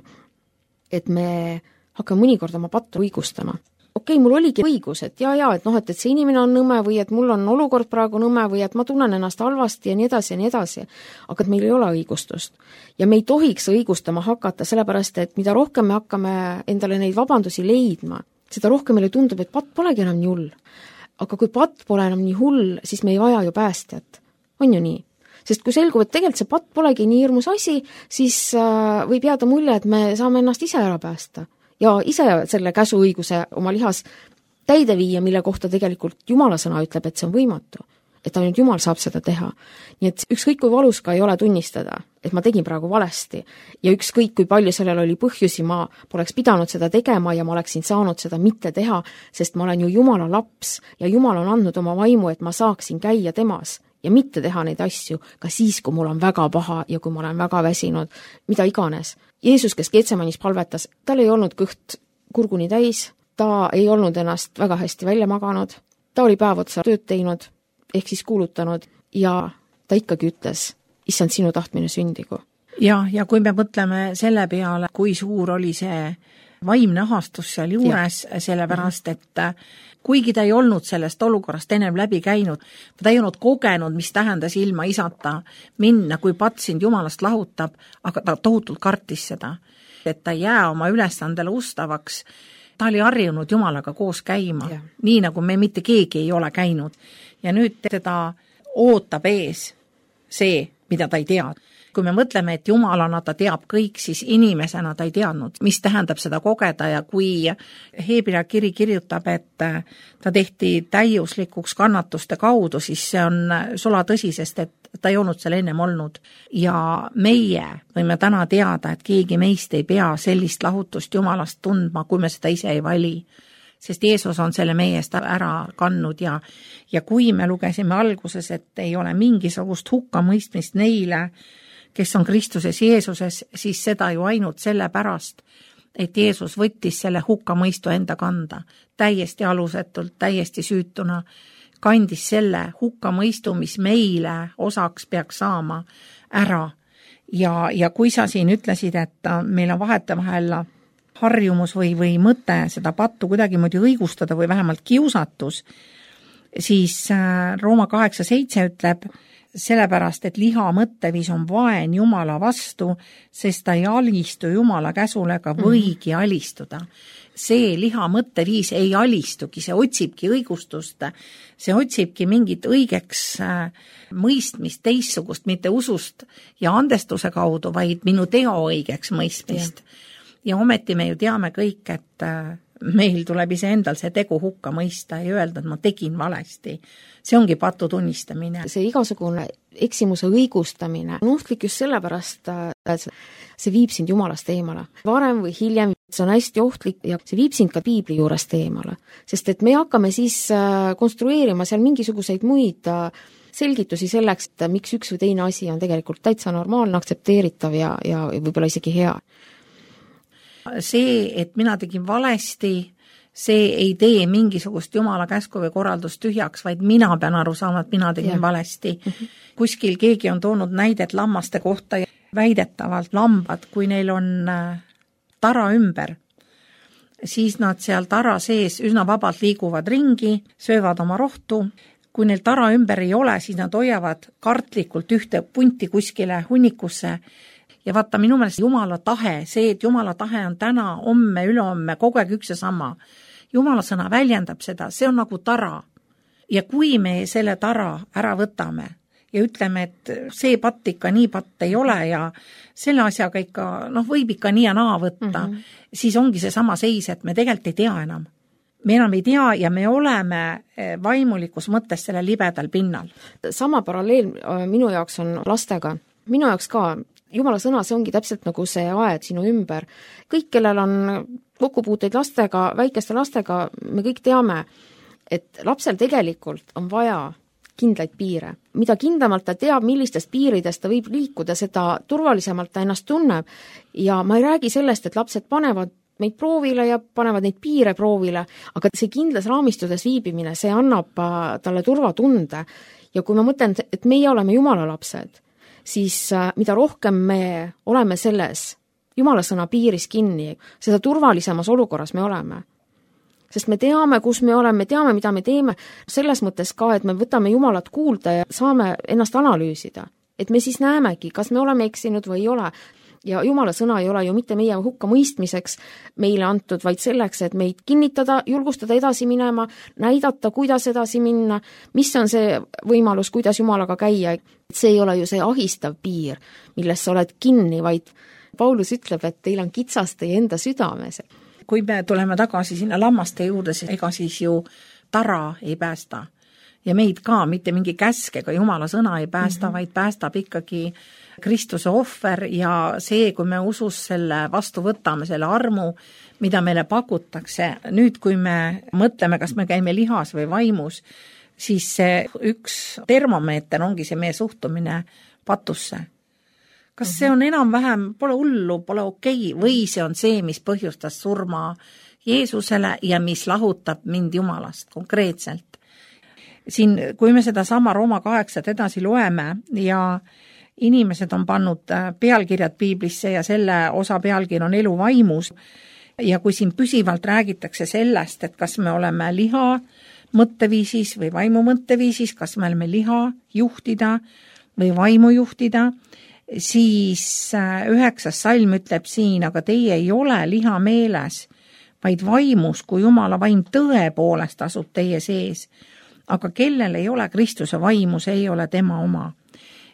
[SPEAKER 3] et me hakkame mõnikord oma pattu õigustama. Okei, mul oligi õigus, et et see inimene on nõme või et mul on olukord praegu nõme või et ma tunnen ennast halvasti ja nii edasi, aga et meil ei ole õigustust. Ja me ei tohiks õigustama hakata, sellepärast, et mida rohkem me hakkame endale neid vabandusi leidma, seda rohkem meile tundub, et patt polegi enam nii hull. Aga kui patt pole enam nii hull, siis me ei vaja ju päästjat. On ju nii? Sest kui selgub, et tegelikult see patt polegi nii hirmus asi, siis võib jääda mulje, et me saame ennast ise ära päästa. Ja ise selle käsuõiguse oma lihas täide viia, mille kohta tegelikult Jumala sõna ütleb, et see on võimatu. Et ainult Jumal saab seda teha. Nii et ükskõik kui valus ka ei ole tunnistada, et ma tegin praegu valesti. Ja ükskõik kui palju sellel oli põhjusi, ma poleks pidanud seda tegema ja ma oleksin saanud seda mitte teha, sest ma olen ju Jumala laps ja Jumal on andnud oma vaimu, et ma saaksin käia temas ja mitte teha neid asju ka siis, kui mul on väga paha ja kui ma olen väga väsinud, mida iganes. Jeesus, kes Geetsemanis palvetas, tal ei olnud kõht kurguni täis, ta ei olnud ennast väga hästi välja maganud, ta oli päev otsa tööd teinud, ehk siis kuulutanud ja ta ikkagi ütles, issand, sinu tahtmine sündigu.
[SPEAKER 2] Ja kui me mõtleme selle peale, kui suur oli see vaimne ahastus seal juures, sellepärast, et kuigi ta ei olnud sellest olukorrast ennem läbi käinud, ta ei olnud kogenud, mis tähendas ilma isata minna, kui patt sind Jumalast lahutab, aga ta tohutult kartis seda, et ta ei jää oma ülesandele ustavaks. Ta oli harjunud Jumalaga koos käima, nii nagu me mitte keegi ei ole käinud. Ja nüüd teda ootab ees see, mida ta ei tea. Kui me mõtleme, et Jumalana ta teab kõik, siis inimesena ta ei teadnud, mis tähendab seda kogeda ja kui Hebra kiri kirjutab, et ta tehti täiuslikuks kannatuste kaudu, siis see on sula tõsi, sest et ta ei olnud seal ennem olnud. Ja meie võime täna teada, et keegi meist ei pea sellist lahutust Jumalast tundma, kui me seda ise ei vali. sest Jeesus on selle meie eest ära kandnud ja kui me lugesime alguses, et ei ole mingisugust hukkamõistmist neile, kes on Kristuses Jeesuses, siis seda ju ainult sellepärast, et Jeesus võttis selle hukkamõistu enda kanda, täiesti alusetult, täiesti süütuna, kandis selle hukkamõistu, mis meile osaks peaks saama ära. Ja kui sa siin ütlesid, et meil on vahetevahel harjumus või mõte seda pattu kuidagi moodi õigustada või vähemalt kiusatus, siis Rooma 8:7 ütleb, sellepärast, et liha mõtteviis on vaen Jumala vastu, sest ta ei alistu Jumala käsule ega võigi alistuda. See liha mõtteviis ei alistugi, see otsibki õigustust, see otsibki mingit õigeks mõistmist, teissugust, mitte usust ja andestuse kaudu, vaid minu teo õigeks mõistmist. Ja ometi me ju teame kõik, et meil tuleb iseendal see tegu hukka mõista ja öelda, et ma tegin valesti. See ongi patu tunnistamine.
[SPEAKER 3] See igasugune eksimuse õigustamine on ohtlik just sellepärast, et see viib sind Jumalast eemale. Varem või hiljem see on hästi ohtlik ja see viib sind ka piibli juurest eemale. Sest et me hakkame siis konstrueerima seal mingisuguseid muid selgitusi selleks, et miks üks või teine asi on tegelikult täitsa normaalne, aktsepteeritav ja võib-olla isegi hea.
[SPEAKER 2] See, et mina tegin valesti, see ei tee mingisugust Jumala käsku või korraldust tühjaks, vaid mina pean aru saama, et mina tegin valesti. Kuskil keegi on toonud näidet lammaste kohta ja väidetavalt lambad, kui neil on tara ümber, siis nad seal tara sees üsna vabalt liiguvad ringi, söövad oma rohtu. Kui neil tara ümber ei ole, siis nad hoiavad kartlikult ühte punti kuskile hunnikusse. Ja vaata, minu meelest Jumala tahe, see, et Jumala tahe on täna, homme, ülehomme, kogu aeg üks ja sama. Jumala sõna väljendab seda, see on nagu tara. Ja kui me selle tara ära võtame ja ütleme, et see patt ikka nii patt ei ole ja selle asjaga ikka, võib ikka nii ja naa võtta, siis ongi see sama seis, et me tegelikult ei tea enam. Me enam ei tea ja me oleme vaimulikus mõttes selle libedal pinnal.
[SPEAKER 3] Sama paralleel minu jaoks on lastega. Minu jaoks ka Jumala sõna, see ongi täpselt nagu see aed sinu ümber. Kõik, kellel on kokkupuuteid lastega, väikeste lastega, me kõik teame, et lapsel tegelikult on vaja kindlaid piire. Mida kindlamalt ta teab, millistest piiridest ta võib liikuda, seda turvalisemalt ta ennast tunneb. Ja ma ei räägi sellest, et lapsed panevad meid proovile ja panevad neid piire proovile, aga see kindlas raamistudes viibimine, see annab talle turvatunde. Ja kui ma mõtlen, et meie oleme Jumala lapsed, siis mida rohkem me oleme selles Jumala sõna piiris kinni, seda turvalisemas olukorras me oleme. Sest me teame, kus me oleme, me teame, mida me teeme, selles mõttes ka, et me võtame Jumalat kuulda ja saame ennast analüüsida. Et me siis näemegi, kas me oleme eksinud või ei ole. Ja Jumala sõna ei ole ju mitte meie hukka mõistmiseks meile antud, vaid selleks, et meid kinnitada, julgustada edasi minema, näidata, kuidas edasi minna, mis on see võimalus, kuidas Jumalaga käia. See ei ole ju see ahistav piir, milles sa oled kinni, vaid Paulus ütleb, et teil on kitsas teie enda südames.
[SPEAKER 2] Kui me tuleme tagasi sinna lammaste juurde, siis ega siis ju tara ei päästa. Ja meid ka mitte mingi käsk ega Jumala sõna ei päästa, vaid päästab ikkagi Kristuse ohver ja see, kui me usus selle vastu võtame, selle armu, mida meile pakutakse. Nüüd, kui me mõtleme, kas me käime lihas või vaimus, siis see üks termomeeter ongi see meie suhtumine patusse. Kas see on enam-vähem, pole hullu, pole okei, või see on see, mis põhjustas surma Jeesusele ja mis lahutab mind Jumalast konkreetselt. Siin, kui me seda sama Rooma 8 edasi loeme ja inimesed on pannud pealkirjad piiblisse ja selle osa pealkiri on elu vaimus ja kui siin püsivalt räägitakse sellest, et kas me oleme liha mõtteviisis või vaimu mõtteviisis, kas me oleme liha juhtida või vaimu juhtida, siis 9. salm ütleb siin, aga teie ei ole liha meeles, vaid vaimus, kui Jumala vaim tõepoolest asub teie sees. Aga kellel ei ole Kristuse vaimu, see ei ole tema oma.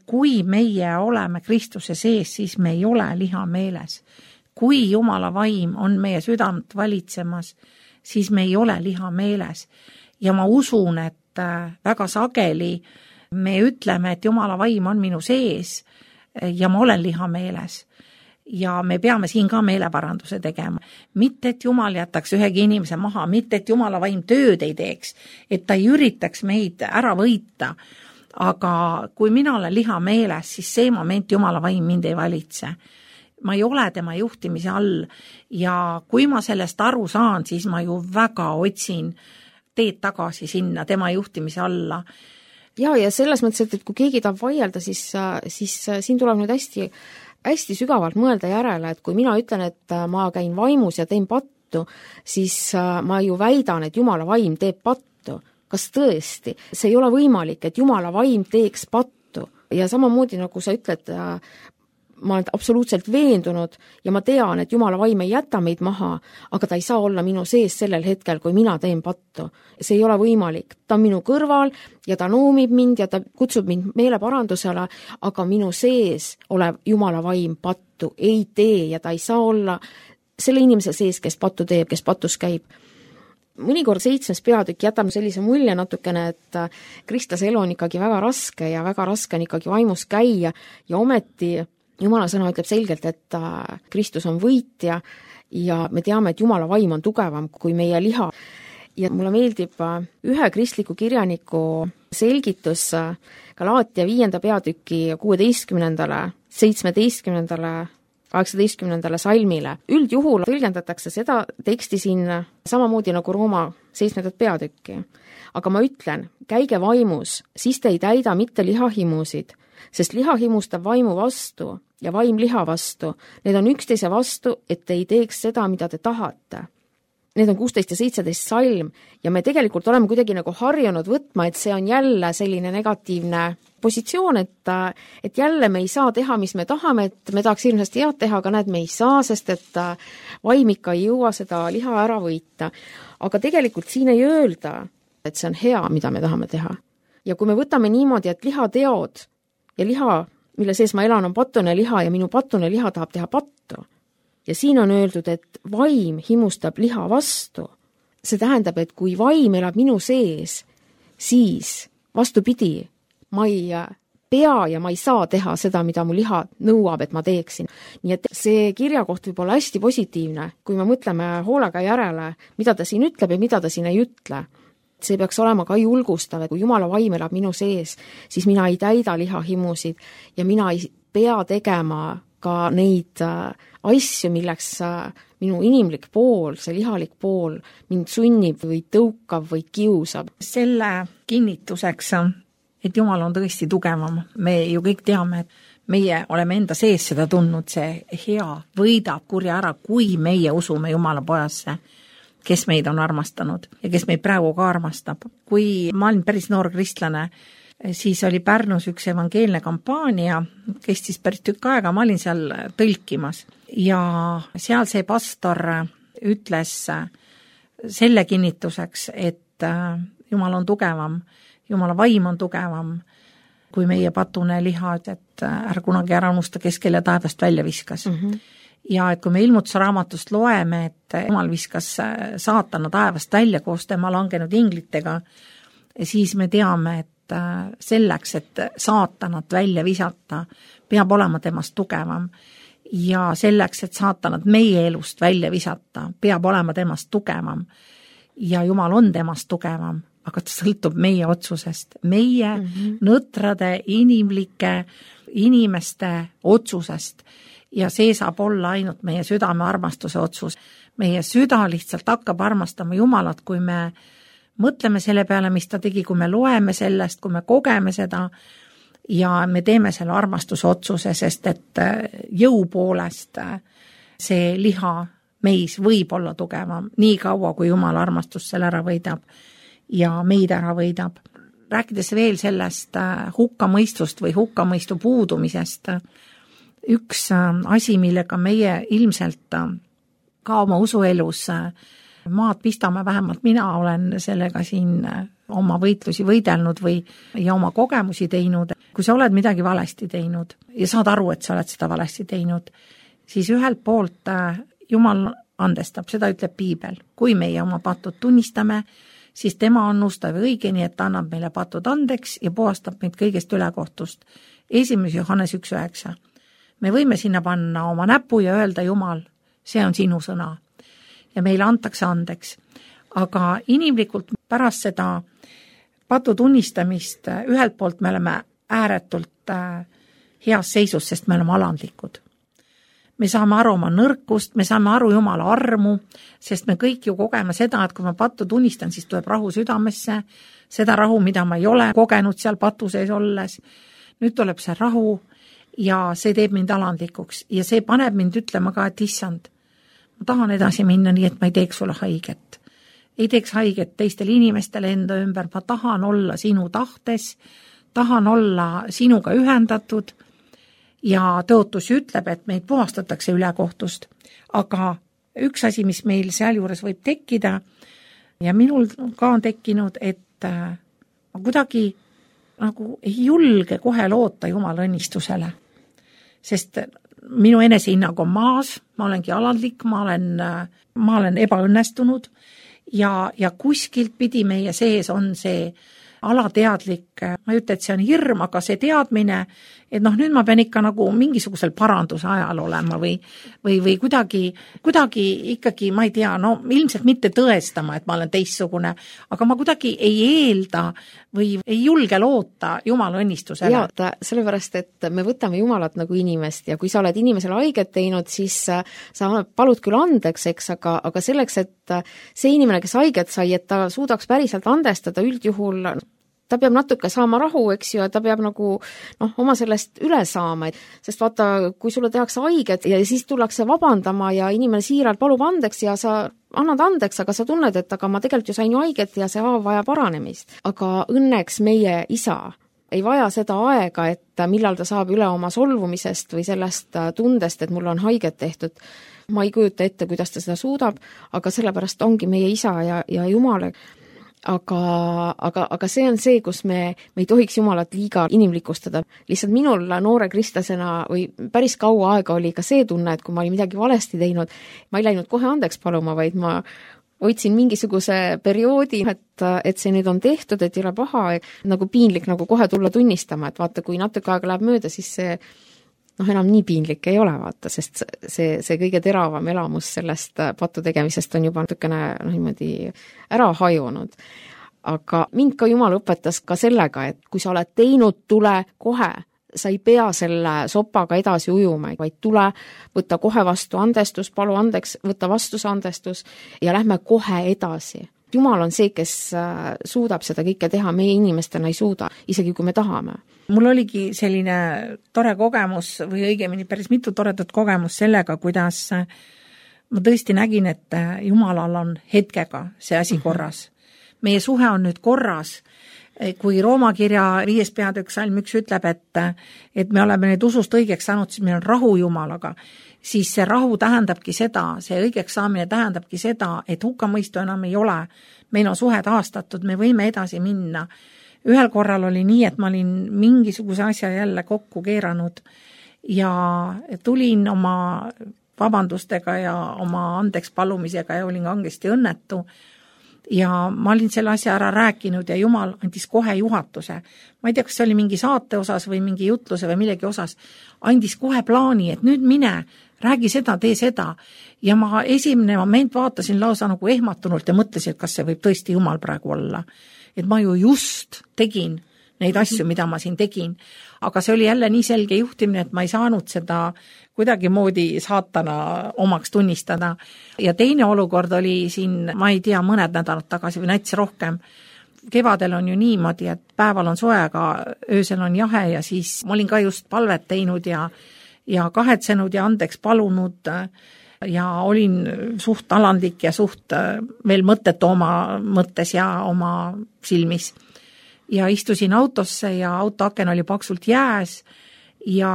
[SPEAKER 2] Kui meie oleme Kristuse sees, siis me ei ole liha meeles. Kui Jumala vaim on meie südamt valitsemas, siis me ei ole liha meeles. Ja ma usun, et väga sageli me ütleme, et Jumala vaim on minu sees ja ma olen liha meeles. ja me peame siin ka meeleparanduse tegema. Mitte, et Jumal jätaks ühegi inimese maha, mitte, et Jumala vaim tööd ei teeks, et ta ei üritaks meid ära võita. Aga kui mina olen liha meeles, siis see moment Jumala vaim mind ei valitse. Ma ei ole tema juhtimise all ja kui ma sellest aru saan, siis ma ju väga otsin teed tagasi sinna tema juhtimise alla.
[SPEAKER 3] Ja selles mõttes, et kui keegi tahab vaielda, siis siin tuleb nüüd hästi sügavalt mõelda järele, et kui mina ütlen, et ma käin vaimus ja teen pattu, siis ma ju väidan, et Jumala vaim teeb pattu. Kas tõesti? See ei ole võimalik, et Jumala vaim teeks pattu. Ja samamoodi, nagu sa ütled, ma olen absoluutselt veendunud ja ma tean, et Jumala vaim ei jäta meid maha, aga ta ei saa olla minu sees sellel hetkel, kui mina teen pattu. See ei ole võimalik. Ta on minu kõrval ja ta noomib mind ja ta kutsub mind meeleparandusele, aga minu sees olev Jumala vaim pattu ei tee ja ta ei saa olla selle inimese sees, kes pattu teeb, kes patus käib. Mõnikord 7. peatükk jätab sellise mulje natukene, et kristlase elu on ikkagi väga raske ja väga raske on ikkagi vaimus käia ja ometi Jumala sõna ütleb selgelt, et Kristus on võitja ja me teame, et Jumala vaim on tugevam kui meie liha. Ja mulle meeldib ühe kristliku kirjaniku selgitus Galaatia 5. peatüki 16., 17., 18. salmile. Üldjuhul tõlgendatakse seda teksti siin samamoodi nagu Rooma 7. peatükki. Aga ma ütlen, käige vaimus, siis te ei täida mitte lihahimusid, sest liha himustab vaimu vastu ja vaim liha vastu. Need on üksteise vastu, et te ei teeks seda, mida te tahate. Need on 16 ja 17 salm ja me tegelikult oleme kuidagi nagu harjunud võtma, et see on jälle selline negatiivne positsioon, et jälle me ei saa teha, mis me tahame, et me tahaks hirmsasti head teha, aga näed, me ei saa, sest et vaim ikka ei jõua seda liha ära võita. Aga tegelikult siin ei öelda, et see on hea, mida me tahame teha. Ja kui me võtame niimoodi, et lihateod ja liha, mille sees ma elan, on patune liha ja minu patune liha tahab teha pattu. Ja siin on öeldud, et vaim himustab liha vastu. See tähendab, et kui vaim elab minu sees, siis vastupidi, ma ei pea ja ma ei saa teha seda, mida mu liha nõuab, et ma teeksin. Nii et see kirjakoht võib olla hästi positiivne, kui me mõtleme hoolega järele, mida ta siin ütleb ja mida ta siin ei ütle. See peaks olema ka julgustav, et kui Jumala vaim elab minu sees, siis mina ei täida lihahimusid ja mina ei pea tegema ka neid asju, milleks minu inimlik pool, see lihalik pool mind sunnib või tõukab või kiusab.
[SPEAKER 2] Selle kinnituseks, et Jumal on tõesti tugevam. Me ju kõik teame, et meie oleme enda sees seda tundnud, see hea võidab kurja ära, kui meie usume Jumala pojasse, kes meid on armastanud ja kes meid praegu ka armastab. Kui ma olin päris noor kristlane, siis oli Pärnus üks evangeelne kampaania, kestis päris tükk aega, ma olin seal tõlkimas ja seal see pastor ütles selle kinnituseks, et Jumal on tugevam, Jumala vaim on tugevam kui meie patune liha, et ära kunagi ära unusta, kes kelle taevast välja viskas. Ja et kui me ilmutuse raamatust loeme, et Jumal viskas saatana taevast välja koos tema langenud inglitega, siis me teame, et selleks, et saatanat välja visata, peab olema temast tugevam. Ja selleks, et saatanat meie elust välja visata, peab olema temast tugevam. Ja Jumal on temast tugevam, aga ta sõltub meie otsusest, meie nõtrade, inimlike inimeste otsusest. Ja see saab olla ainult meie südame armastuse otsus. Meie süda lihtsalt hakkab armastama Jumalat, kui me mõtleme selle peale, mis ta tegi, kui me loeme sellest, kui me kogeme seda ja me teeme selle armastuse otsuse, sest et jõu poolest see liha meis võib olla tugevam nii kaua, kui Jumala armastus selle ära võidab ja meid ära võidab. Rääkides veel sellest hukkamõistust või hukkamõistu puudumisest, üks asi, millega meie ilmselt ka oma usuelus maad pistame, vähemalt mina olen sellega siin oma võitlusi võidelnud ja oma kogemusi teinud. Kui sa oled midagi valesti teinud ja saad aru, et sa oled seda valesti teinud, siis ühelt poolt Jumal andestab, seda ütleb Piibel. Kui meie oma patud tunnistame, siis tema on ustav ja õige, nii et ta annab meile patud andeks ja puhastab meid kõigest ülekohtust. 1. Johannes 1.9. me võime sinna panna oma näpu ja öelda, Jumal, see on sinu sõna. Ja meile antakse andeks. Aga inimlikult pärast seda patu tunnistamist ühelt poolt me oleme ääretult heas seisus, sest me oleme alandlikud. Me saame aru oma nõrkust, me saame aru Jumala armu, sest me kõik ju kogeme seda, et kui ma pattu tunnistan, siis tuleb rahu südamesse, seda rahu, mida ma ei ole kogenud seal patu sees olles. Nüüd tuleb see rahu ja see teeb mind alandlikuks ja see paneb mind ütlema ka, et issand, ma tahan edasi minna nii, et ma ei teeks sulle haiget. Ei teeks haiget teistele inimestele enda ümber, ma tahan olla sinu tahtes, tahan olla sinuga ühendatud ja tõotus ütleb, et meid puhastatakse ülekohtust. Aga üks asi, mis meil sealjuures võib tekkida ja minul ka on tekkinud, et ma kuidagi nagu ei julge kohe loota Jumala õnnistusele. Sest minu enesehinnang on maas, ma olengi alandlik, ma olen ebaõnnestunud ja kuskilt pidi meie sees on see alateadlik, ma ei ütle, et see on hirm, aga see teadmine, et nüüd ma pean ikka nagu mingisugusel paranduse ajal olema või kuidagi ikkagi, ma ei tea, ilmselt mitte tõestama, et ma olen teistsugune, aga ma kuidagi ei eelda või ei julge loota Jumala õnnistusele.
[SPEAKER 3] Ja, sellepärast, et me võtame Jumalat nagu inimest ja kui sa oled inimesele haiget teinud, siis sa palud küll andeks, eks, aga selleks, et see inimene, kes haiget sai, et ta suudaks päriselt andestada üldjuhul, ta peab natuke saama rahu, eks ju, ja ta peab nagu oma sellest üle saama, sest vaata, kui sulle tehakse haiget ja siis tullakse vabandama ja inimene siiralt palub andeks ja sa annad andeks, aga sa tunned, et aga ma tegelikult ju sain ju haiget ja see haav vaja paranemist. Aga õnneks meie isa ei vaja seda aega, et millal ta saab üle oma solvumisest või sellest tundest, et mul on haiget tehtud. Ma ei kujuta ette, kuidas ta seda suudab, aga sellepärast ongi meie isa ja Jumale. Aga see on see, kus me ei tohiks Jumalat liiga inimlikustada. Lihtsalt minul noore kristlasena või päris kaua aega oli ka see tunne, et kui ma olin midagi valesti teinud, ma ei läinud kohe andeks paluma, vaid ma hoidsin mingisuguse perioodi, et see nüüd on tehtud, et ei ole paha, nagu piinlik nagu kohe tulla tunnistama, et vaata, kui natuke aega läheb mööda, siis see enam nii piinlik ei ole, vaata, sest see kõige teravam elamus sellest patu tegemisest on juba natukene niimoodi ära hajunud. Aga mind ka Jumal õpetas ka sellega, et kui sa oled teinud, tule kohe, sa ei pea selle sopaga edasi ujuma, vaid tule, võtta kohe vastu andestus, palu andeks, võtta vastu see andestus ja lähme kohe edasi. Jumal on see, kes suudab seda kõike teha, meie inimestena ei suuda, isegi kui me tahame.
[SPEAKER 2] Mul oligi selline tore kogemus või õigemini päris mitu toredat kogemus sellega, kuidas ma tõesti nägin, et Jumalal on hetkega see asi korras. Meie suhe on nüüd korras. Kui Rooma kirja 5. peatükk salm 1 ütleb, et me oleme nüüd usust õigeks saanud, siis meil on rahu Jumalaga, siis see rahu tähendabki seda, see õigeks saamine tähendabki seda, et hukkamõistu enam ei ole, meil on suhe taastatud, me võime edasi minna. Ühel korral oli nii, et ma olin mingisuguse asja jälle kokku keeranud ja tulin oma vabandustega ja oma andeks palumisega ja olin kangesti õnnetu. Ja ma olin selle asja ära rääkinud ja Jumal andis kohe juhatuse. Ma ei tea, kas see oli mingi saate osas või mingi jutluse või millegi osas. Andis kohe plaani, et nüüd mine, räägi seda, tee seda. Ja ma esimene moment vaatasin lausa nagu ehmatunult ja mõtlesin, et kas see võib tõesti Jumal praegu olla. Et ma ju just tegin neid asju, mida ma siin tegin. Aga see oli jälle nii selge juhtimine, et ma ei saanud seda kuidagi moodi saatana omaks tunnistada. Ja teine olukord oli siin, ma ei tea, mõned nädalad tagasi või näiteks rohkem. Kevadel on ju niimoodi, et päeval on soe, aga öösel on jahe ja siis ma olin ka just palvet teinud ja kahetsenud ja andeks palunud ja olin suht alandlik ja suht veel mõttetu oma mõttes ja oma silmis. Ja istusin autosse ja autoaken oli paksult jääs ja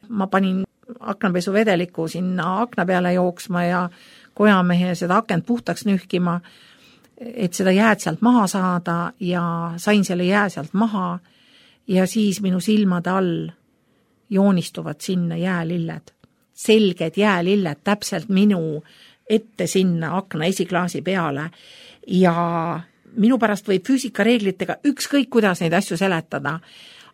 [SPEAKER 2] ma panin aknapesu vedeliku sinna akna peale jooksma ja kojamehe seda akent puhtaks nühkima, et seda jääd sealt maha saada ja sain selle jää sealt maha ja siis minu silmade all joonistuvad sinna jäälilled. Selged jäälilled täpselt minu ette sinna akna esiklaasi peale ja minu pärast võib füüsikareeglitega ükskõik kuidas neid asju seletada,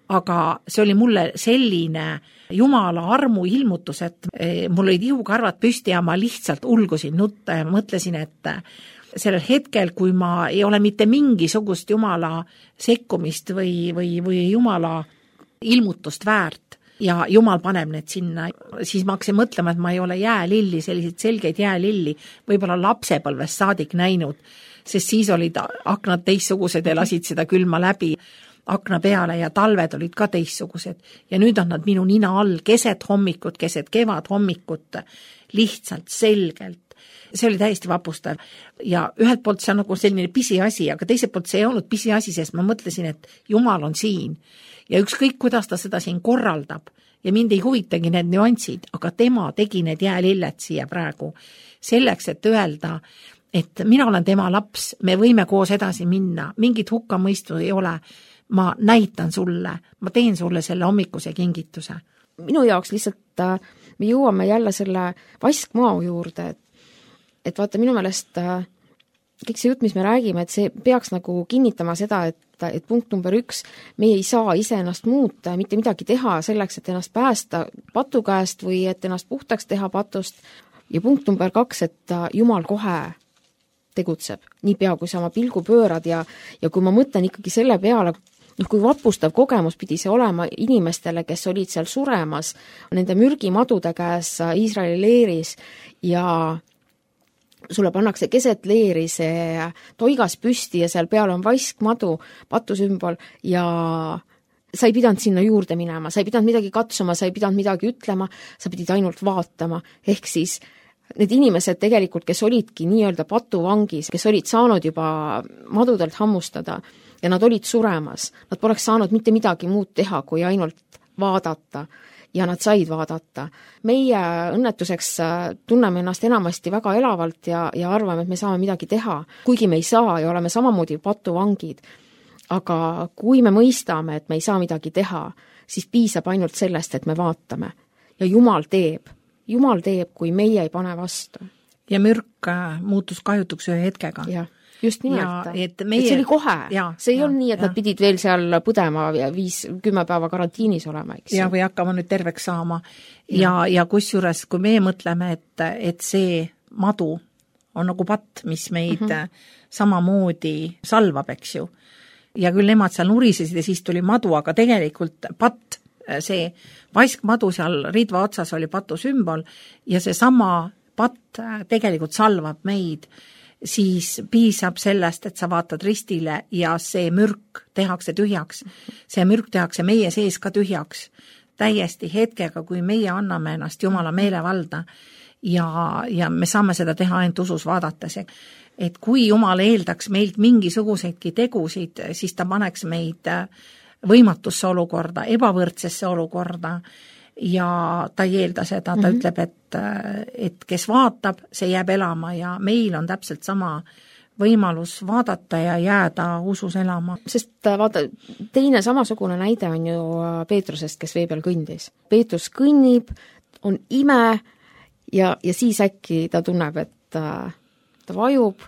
[SPEAKER 2] aga see oli mulle selline Jumala armu ilmutus, et mul olid ihukarvad püsti ja ma lihtsalt ulgusin nutta ja mõtlesin, et sellel hetkel, kui ma ei ole mitte mingisugust Jumala sekkumist või Jumala ilmutust väärt ja Jumal paneb need sinna, siis ma hakkasin mõtlema, et ma ei ole jäälilli, selliseid selgeid jäälilli, võib-olla lapsepõlvest saadik näinud, sest siis olid aknad teistsugused ja lasid seda külma läbi akna peale ja talved olid ka teistsugused. Ja nüüd on nad minu nina all keset hommikut, keset kevad hommikut, lihtsalt selgelt. See oli täiesti vapustav. Ja ühelt poolt see on nagu selline pisiasi, aga teiselt poolt see ei olnud pisiasi, sest ma mõtlesin, et Jumal on siin. Ja ükskõik, kuidas ta seda siin korraldab ja mind ei huvitagi need nüansid, aga tema tegi need jäälilled siia praegu selleks, et öelda, et mina olen tema laps, me võime koos edasi minna, mingit hukkamõistu ei ole, ma näitan sulle, ma teen sulle selle hommikuse kingituse.
[SPEAKER 3] Minu jaoks lihtsalt me jõuame jälle selle vaskmaa juurde, et vaata minu meelest kõik see jutt, mis me räägime, et see peaks nagu kinnitama seda, et punkt number 1, me ei saa ise ennast muuta ja mitte midagi teha selleks, et ennast päästa patu käest või et ennast puhtaks teha patust. Ja punkt number 2, et Jumal kohe tegutseb, niipea kui sa oma pilgu pöörad ja kui ma mõtlen ikkagi selle peale, kui vapustav kogemus pidi see olema inimestele, kes olid seal suremas nende mürgimadude käes Iisraeli leeris ja sulle pannakse keset leeri see toigas püsti ja seal peal on vaskmadu, patusümbol ja sa ei pidanud sinna juurde minema, sa ei pidanud midagi katsuma, sa ei pidanud midagi ütlema, sa pidid ainult vaatama. Ehk siis need inimesed tegelikult, kes olidki nii-öelda patuvangis, kes olid saanud juba madudelt hammustada ja nad olid suremas, nad poleks saanud mitte midagi muud teha, kui ainult vaadata. Ja nad said vaadata. Meie õnnetuseks tunneme ennast enamasti väga elavalt ja arvame, et me saame midagi teha, kuigi me ei saa ja oleme samamoodi patuvangid. Aga kui me mõistame, et me ei saa midagi teha, siis piisab ainult sellest, et me vaatame. Ja Jumal teeb, kui meie ei pane vastu.
[SPEAKER 2] Ja mürk muutus kahjutuks ühe hetkega.
[SPEAKER 3] Jah. Just nimelt, et see oli kohe, see ei olnud nii, et nad pidid veel seal põdema ja 5-10 päeva karantiinis olema, eks.
[SPEAKER 2] Ja või hakkama nüüd terveks saama ja kusjuures, kui meie mõtleme, et see madu on nagu patt, mis meid samamoodi salvab, eks ju. Ja küll nemad seal nurisesid ja siis tuli madu, aga tegelikult patt, see vaskmadu seal ridva otsas oli patu sümbol ja see sama patt tegelikult salvab meid, siis piisab sellest, et sa vaatad ristile ja see mürk tehakse tühjaks. See mürk tehakse meie sees ka tühjaks. Täiesti hetkega, kui meie anname ennast Jumala meelevalda ja me saame seda teha ainult usus vaadates. Et kui Jumal eeldaks meilt mingisuguseidki tegusid, siis ta paneks meid võimatusse olukorda, ebavõrdsesse olukorda ja ta ei eelda seda, ta ütleb, et kes vaatab, see jääb elama ja meil on täpselt sama võimalus vaadata ja jääda usus elama.
[SPEAKER 3] Sest vaata, teine samasugune näide on ju Peetrusest, kes vee peal kõndis. Peetrus kõnnib, on ime ja siis äkki ta tunneb, et ta vajub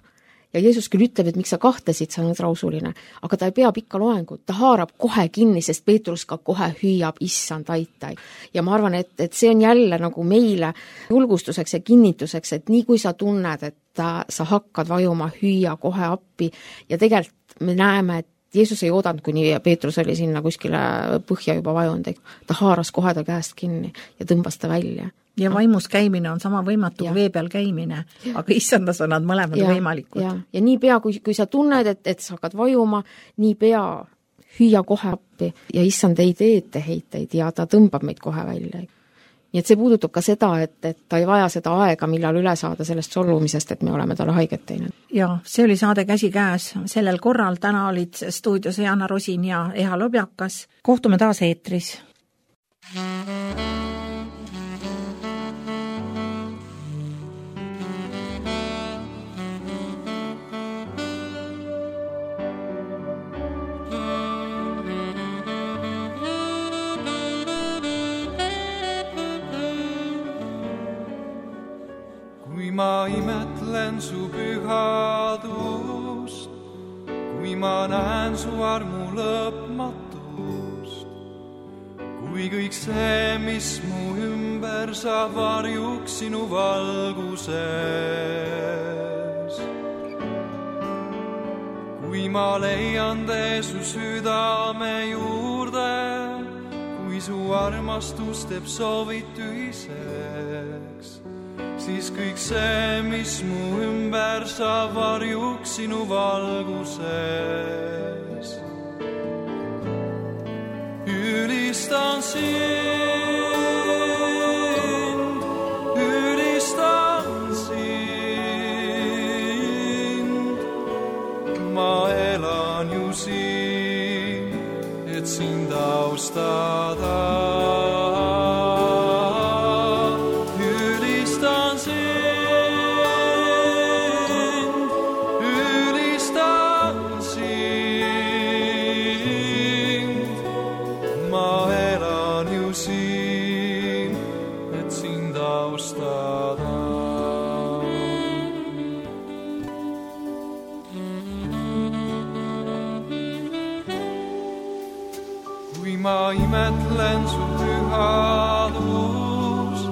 [SPEAKER 3] ja Jeesus küll ütleb, et miks sa kahtlesid, sa oled rausuline, aga ta ei pea pikka loengut, ta haarab kohe kinni, sest Peetrus ka kohe hüüab issand aitai. Ja ma arvan, et see on jälle nagu meile julgustuseks ja kinnituseks, et nii kui sa tunned, et sa hakkad vajuma, hüüa kohe appi ja tegelikult me näeme, et Jeesus ei oodanud, kuni Peetrus oli sinna kuskile põhja juba vajunud, ta haaras kohe ta käest kinni ja tõmbas ta välja.
[SPEAKER 2] Ja vaimus käimine on sama võimatu kui vee peal käimine, aga issandas on nad mõlemad võimalikud.
[SPEAKER 3] Ja nii pea, kui sa tunned, et sa hakkad vajuma, nii pea hüüa kohe appi ja issand ei tee etteheiteid ja ta tõmbab meid kohe välja. Nii et see puudutab ka seda, et ta ei vaja seda aega, millal üle saada sellest solvumisest, et me oleme talle haiget teinud.
[SPEAKER 2] Ja see oli saade Käsikäes. Sellel korral täna olid stuudios Jana Rosin ja Eha Lobjakas. Kohtume taas eetris.
[SPEAKER 1] Ma imetlen su pühadust, kui ma näen su armu lõpmatust, kui kõik see, mis mu ümber saab varjuks sinu valguses. Kui ma leian tee su südame juurde, kui su armastus teeb soovid tühiseks, siis kõik see, mis mu ümber saab varjuks sinu valguses. Ülistan sind, ma elan ju siin, et sind austada. Ülistan sind, ma elan ju siin, et sind austada. Kui ma imetlen su pühadust,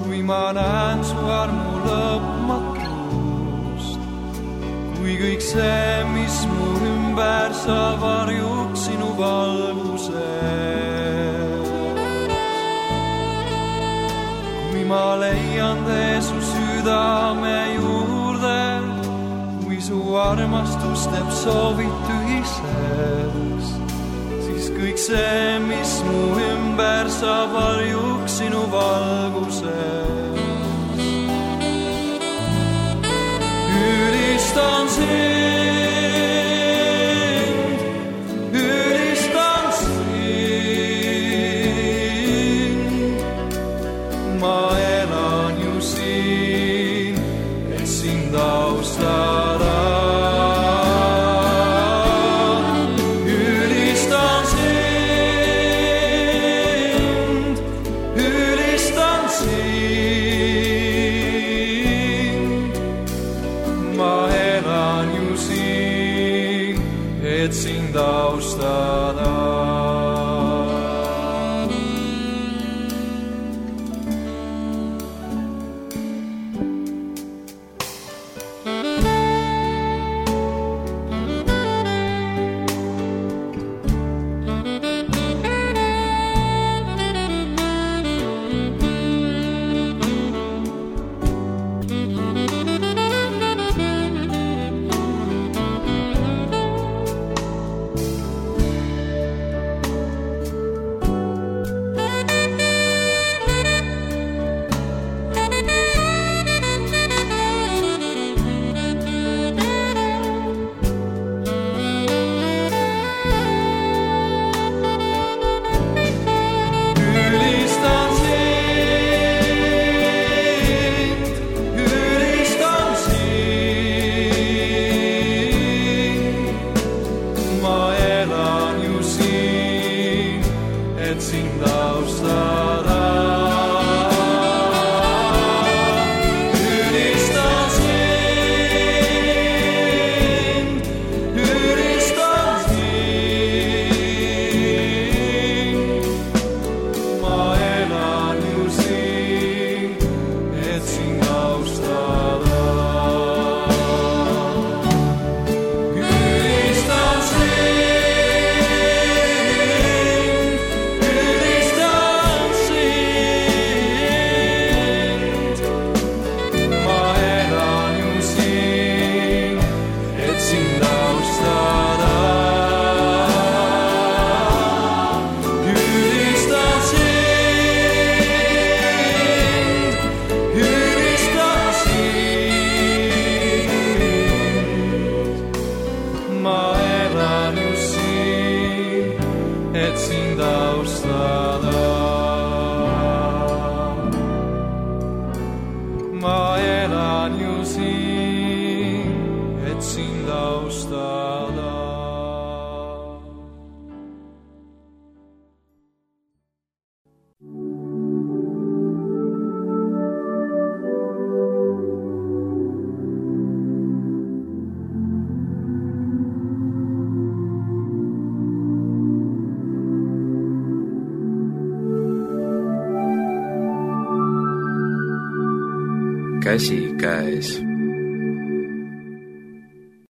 [SPEAKER 1] kui ma näen su armu lõpmatust, kui kõik see, mis mu ümber saab varjuks sinu valguses. Kui ma leian tee su südame juurde, kui su armastus teeb soovid tühiseks, kõik see, mis mu ümber saab varjuks sinu valguses. Ülistan sind, ma elan ju siin, et sind austada. Sind austada.
[SPEAKER 4] käsikäes.